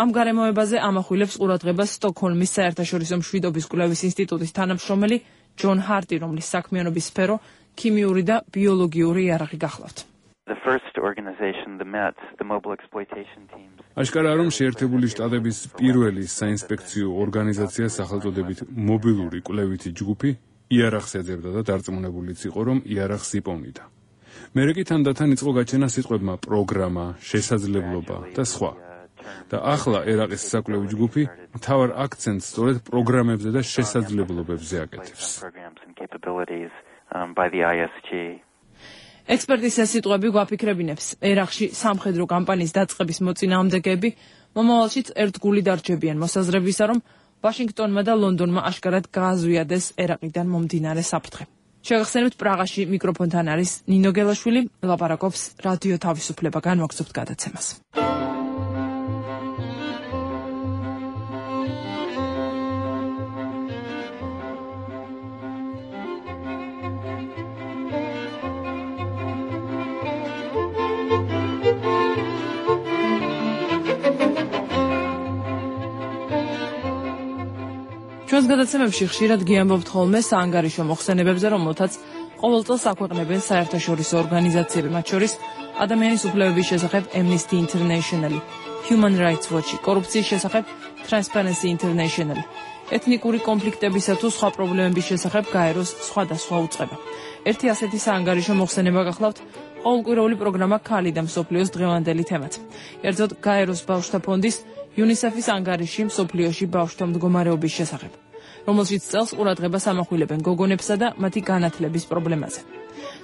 ამ გარემოებაზე ამახვილებს ყურადღებას სტოკჰოლმის საერთაშორისო მშვიდობის კვლევის ინსტიტუტის თანამშრომელი ჯონ ჰარტი, რომლის საქმიანობის სფერო ქიმიური და ბიოლოგიური იარაღი გახლავთ. აშკარაა, რომ შეერთებული შტატების პირველი საინსპექციო ორგანიზაცია სახელწოდებით მობილური კვლევითი ჯგუფი იარაღს ეძებდა და დარწმუნებულიც იყო, რომ იარაღს იპოვნიდა. მერე კი თანდათან იწყო გაჩენა სიტყვებმა პროგრამა, შესაძლებლობა და სხვა. და ახლა ერაყის საკვლევი ჯგუფი მთავარ აქცენტს სწორედ პროგრამებზე და შესაძლებლობებზე აკეთებს. ექსპერტის ეს სიტყვები გვაფიქრებინებს, ერაყში სამხედრო კამპანიის დაწყების მოწინააღმდეგეები მომავალშიც ერთგული დარჩებიან მოსაზრებისა, რომ ვაშინგტონმა და ლონდონმა აშკარად გააზვიადეს ერაყიდან მომდინარე საფრთხე. შეგახსენებთ, პრაღაში მიკროფონთან არის ნინო გელაშვილი, ლაპარაკობს რადიო თავისუფლება, განვაგრძობთ გადაცემას. ჩვენს გადაცემებში ხშირად გიამბობთ ხოლმე საანგარიშო მოხსენებებზე, რომელთაც ყოველ წელს აქვეყნებენ საერთაშორისო ორგანიზაციები, მათ შორის ადამიანის უფლებების შესახებ Amnesty International, Human Rights Watch, კორუფციის შესახებ Transparency International, ეთნიკური კონფლიქტებისა თუ სხვა პრობლემების შესახებ გაეროს სხვადასხვა უწყება. ერთი ასეთი საანგარიშო მოხსენება გახლავთ ყოველკვირეული პროგრამა ქალი და მსოფლიოს დღევანდელი თემაც. ერთოდ გაეროს ბავშვთა ფონდის UNICEF-ის ანგარიში მსოფლიოში ბავშვთა მდგომარეობის შესახებ, რომელშიც წელს ყურადღებას ამახვილებენ გოგონებსა და მათი განათლების პრობლემაზე.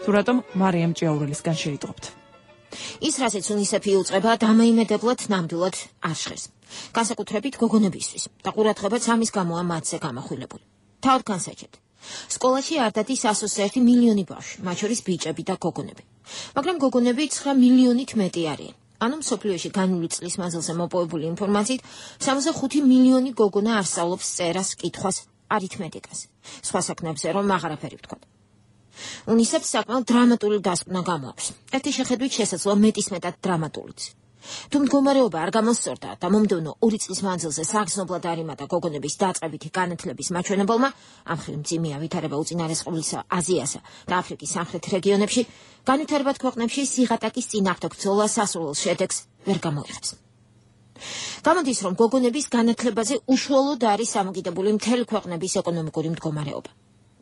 თუ რატომ მარიამ ჭიაურელისგან შეიტყობთ. ის, რასაც UNICEF-ი უწყება, დამოიმედებლად ნამდვილად არ ჟღერს. განსაკუთრებით გოგონებისთვის და ყურადღებაც ამის გამოა მათზე გამახვილებული. თავად განსაჩეთ. სკოლაში არ დადის ასოცი ერთი მილიონი ბავშვი, მათ შორის ბიჭები და გოგონები. მაგრამ გოგონები ცხრა მილიონით მეტი არიან. ანუ მსოფლიოში განული წლის მანძილზე მოპოვებული ინფორმაციით სამოცდახუთი მილიონი გოგონა არ სწავლობს წერას, კითხვას, არითმეტიკას. სხვა საქმეებზე რომ აღარაფერი ვთქვათ. UNICEF-ს საკმაოდ დრამატული დასკვნა გამოაქვს. ერთი შეხედვით შესაძლოა მეტისმეტად დრამატულიც. თუ მდგომარეობა არ გამოსწორდა და მომდევნო ორი წლის მანძილზე საგრძნობლად არ იმატა გოგონების დაწყებითი განათლების მაჩვენებელმა, ამ ხრივ მძიმეა ვითარება უწინარესყობლისა აზიასა და აფრიკის სამხრეთ რეგიონებში, განვითარებად ქვეყნებში სიღატაკის წინააღმდეგ ბრძოლა სასურველ შედეგს ვერ გამოიღებს. გამოდის, რომ გოგონების განათლებაზე უშუალოდ არის დამოკიდებული მთელი ქვეყნების ეკონომიკური მდგომარეობა.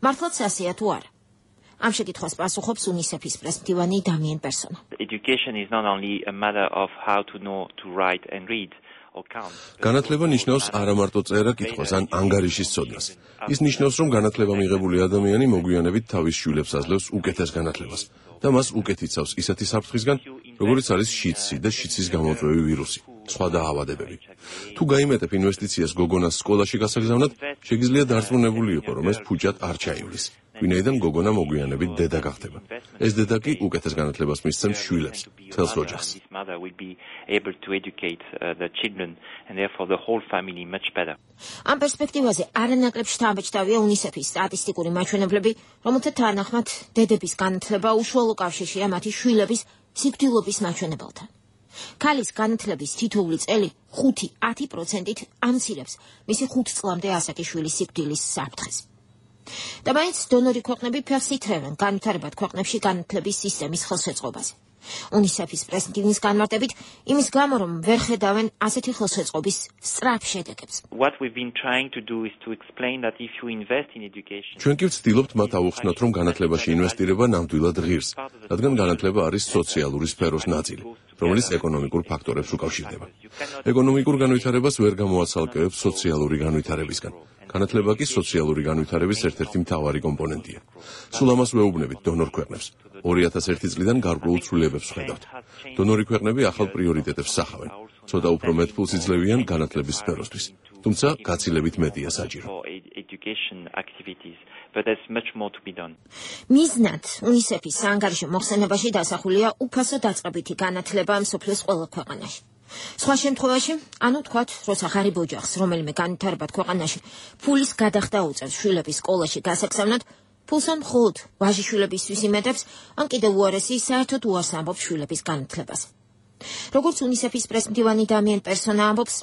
მართლაც ასეა თუ არა? ამ შეკითხვას პასუხობს UNICEF-ის პრესმდივანი დამიენ პერსონა. Education is not only a matter of how to know to write and read. განათლება ნიშნავს არა მარტო წერა კითხვას ან ანგარიშის ცოდნას. ის ნიშნავს, რომ განათლება მიღებული ადამიანი მოგვიანებით თავის შვილებს აძლევს უკეთეს განათლებას და მას უკეთ იცავს ისეთი საფრთხისგან, როგორიც არის შიდსი და შიდსის გამომწვევი ვირუსი, სხვა დაავადებები. თუ გაიმეტებ ინვესტიციას გოგონას სკოლაში გასაგზავნად, შეგიძლია დარწმუნებული იყო, რომ ეს ფუჭად არ ჩაივლის. ვინაიდან გოგონა მოგვიანებით დედა გახდება. ეს დედა კი უკეთეს განათლებას მისცემს შვილებს, თელს ოჯახს. ამ პერსპექტივაზე არანაკლებ შთამბეჭდავია UNICEF-ის სტატისტიკური მაჩვენებლები, რომელთა თანახმად დედების განათლება უშუალო კავშირშია მათი შვილების სიკვდილობის მაჩვენებელთან. ქალის განათლების თითოეული წელი ხუთი ათი პროცენტით ამცირებს მისი ხუთ წლამდე ასაკი შვილის სიკვდილის საფრთხეს. და მაინც დონორი ქვეყნები ფეხს ითრევენ განვითარებად ქვეყნებში განათლების სისტემის ხელშეწყობაზე. UNICEF-ის პრესმდივნის განმარტებით, იმის გამო, რომ ვერ ხედავენ ასეთი ხელშეწყობის სწრაფ შედეგებს. What we've been trying to do is to explain that if you invest in education. ჩვენ კი ვცდილობთ მათ აუხსნათ, რომ განათლებაში ინვესტირება ნამდვილად ღირს, რადგან განათლება არის სოციალური სფეროს ნაწილი, რომელიც ეკონომიკურ ფაქტორებს უკავშირდება. ეკონომიკურ განვითარებას ვერ გამოაცალკევებს სოციალური განვითარებისგან. განათლება კი სოციალური განვითარების ერთ-ერთი მთავარი კომპონენტია. სულ ამას ვეუბნებით დონორ ქვეყნებს. ორი ათას ერთი წლიდან გარკვეულ ცვლილებებს ვხედავთ. დონორი ქვეყნები ახალ პრიორიტეტებს სახავენ. ცოტა უფრო მეტ ფულს იძლევიან განათლების სფეროსთვის. თუმცა გაცილებით მეტია საჭირო. მიზნად UNICEF-ის საანგარიშო მოხსენებაში დასახულია უფასო დაწყებითი განათლება მსოფლიოს ყველა ქვეყანაში. სხვა შემთხვევაში, ანუ თქვათ, როცა ღარიბ ოჯახს, რომელიმე განვითარებად ქვეყანაში ფულის გადახდა უწევს შვილების სკოლაში გასაგზავნად, ფულს ან მხოლოდ ვაჟიშვილებისთვის იმედებს, ან კიდევ უარესი საერთოდ უარს ამბობს შვილების განათლებას. როგორც UNICEF-ის პრესმდივანი დამიენ პერსონა ამბობს,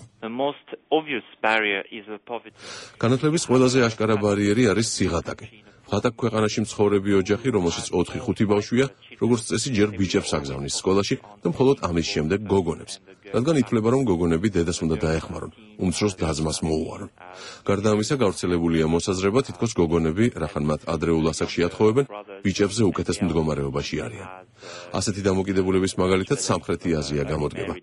განათლების ყველაზე აშკარა ბარიერი არის სიღატაკე. ღატაკ ქვეყანაში მცხოვრები ოჯახი, რომელშიც ოთხი ხუთი ბავშვია, როგორც წესი ჯერ ბიჭებს აგზავნის სკოლაში და მხოლოდ ამის შემდეგ გოგონებს. რადგან ითვლება, რომ გოგონები დედას უნდა დაეხმარონ, უმცროს და-ძმას მოუარონ. გარდა ამისა, გავრცელებულია მოსაზრება, თითქოს გოგონები, რახან მათ ადრეულ ასაკში ათხოვებენ, ბიჭებზე უკეთეს მდგომარეობაში არიან. ასეთი დამოკიდებულების მაგალითად სამხრეთი აზია გამოდგება.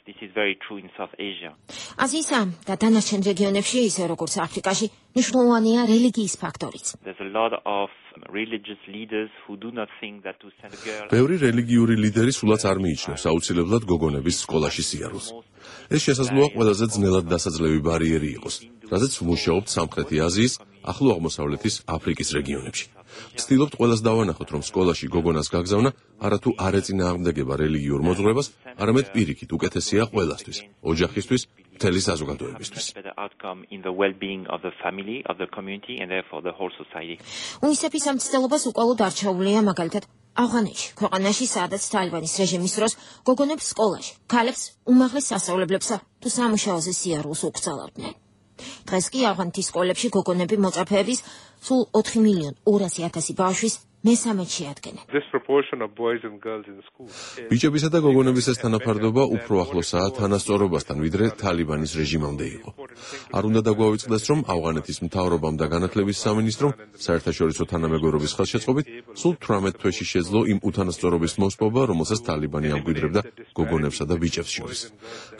This is very true in South Asia. აზიისა და დანარჩენ რეგიონებში, ისე როგორც აფრიკაში, მნიშვნელოვანია რელიგიის ფაქტორიც. There's a lot of religious leaders who do not think that to send a girl. ბევრი რელიგიური ლიდერი სულაც არ მიიჩნევს აუცილებლად გოგონების სკოლაში სიარულს. ეს შესაძლოა ყველაზე ძნელად დასაძლევი ბარიერი იყოს, რაზეც ვმუშაობთ სამხრეთი აზიის, ახლო აღმოსავლეთის, აფრიკის რეგიონებში. ვცდილობთ ყველას დავანახოთ, რომ სკოლაში გოგონას გაგზავნა არათუ არ ეწინააღმდეგება რელიგიურ მოძღვრებას, არამედ პირიქით უკეთესია ყველასთვის, ოჯახისთვის, მთელი საზოგადოებისთვის. UNICEF-ის ამ ცდილობას უკვალოდ არჩეულია მაგალითად ავღანეთში, ქვეყანაში, სადაც თალიბანის რეჟიმის დროს გოგონებს სკოლაში, ქალებს უმაღლეს სასწავლებლებსა თუ სამუშაოზე სიარულს უკრძალავდნენ. დღეს კი ავღანეთის სკოლებში გოგონები მოწაფეების სულ ოთხი მილიონი ორასი ათასი ბავშვის მესამედში ადგენენ. ბიჭებისა და გოგონების ეს თანაფარდობა უფრო ახლოსაა თანასწორობასთან, ვიდრე თალიბანის რეჟიმამდე იყო. არ უნდა დაგვავიწყდეს, რომ ავღანეთის მთავრობამ და განათლების სამინისტრომ საერთაშორისო თანამეგობრობის ხელშეწყობით სულ თვრამეტ თვეში შეძლო იმ უთანასწორობის მოსპობა, რომელსაც თალიბანი ამკვიდრებდა გოგონებსა და ბიჭებს შორის.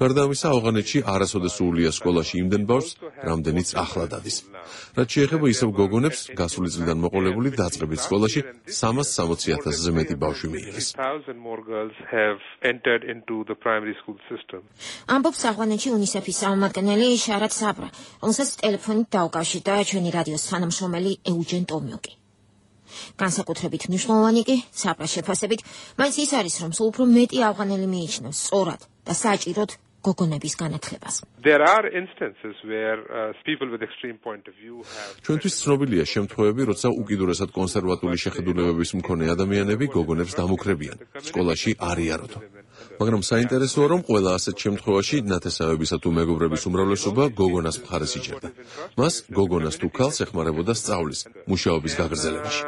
გარდა ამისა, ავღანეთში არასოდეს სრულია სკოლაში იმდენ ბავშვს, რამდენიც ახლა დადის. რაც შეეხება ისევ გოგონებს, გასული წლიდან მოყოლებული დაწყებით სკოლაში სამას სამოცი ათასზე მეტი ბავშვი მიიღეს. ამბობს ავღანეთში UNICEF-ის წარმომადგენელი შარად საბრა, რომელსაც ტელეფონით დაუკავშირდა ჩვენი რადიოს თანამშრომელი ეუჯენ ტომიუკი. განსაკუთრებით მნიშვნელოვანი კი, საბრას შეფასებით, მაინც ის არის, რომ სულ უფრო მეტი ავღანელი მიიჩნევს სწორად და საჭიროდ გოგონების განათლებას. ჩვენთვის ცნობილია შემთხვევები, როცა უკიდურესად კონსერვატული შეხედულებების მქონე ადამიანები გოგონებს დამუქრებიან, სკოლაში არ იაროთო. მაგრამ საინტერესოა, რომ ყველა ასეთ შემთხვევაში ნათესავებისა თუ მეგობრების უმრავლესობა გოგონას მხარეს იჭერდა. მას გოგონას თუ ქალს ეხმარებოდა სწავლის, მუშაობის გაგრძელებაში.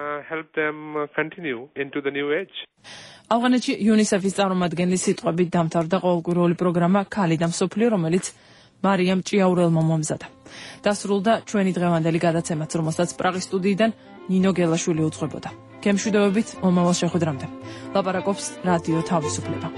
ავღანეთში UNICEF-ის წარმომადგენლის სიტყვებით დამთავრდა ყოველკვირეული პროგრამა „ქალი და მსოფლიო“, რომელიც მარიამ ჭიაურელმა მომზადა. დასრულდა ჩვენი დღევანდელი გადაცემაც, რომელსაც პრაღის სტუდიიდან ნინო გელაშვილი უძღვებოდა. გემშვიდობებით მომავალ შეხვედრამდე. ლაპარაკობს რადიო თავისუფლება.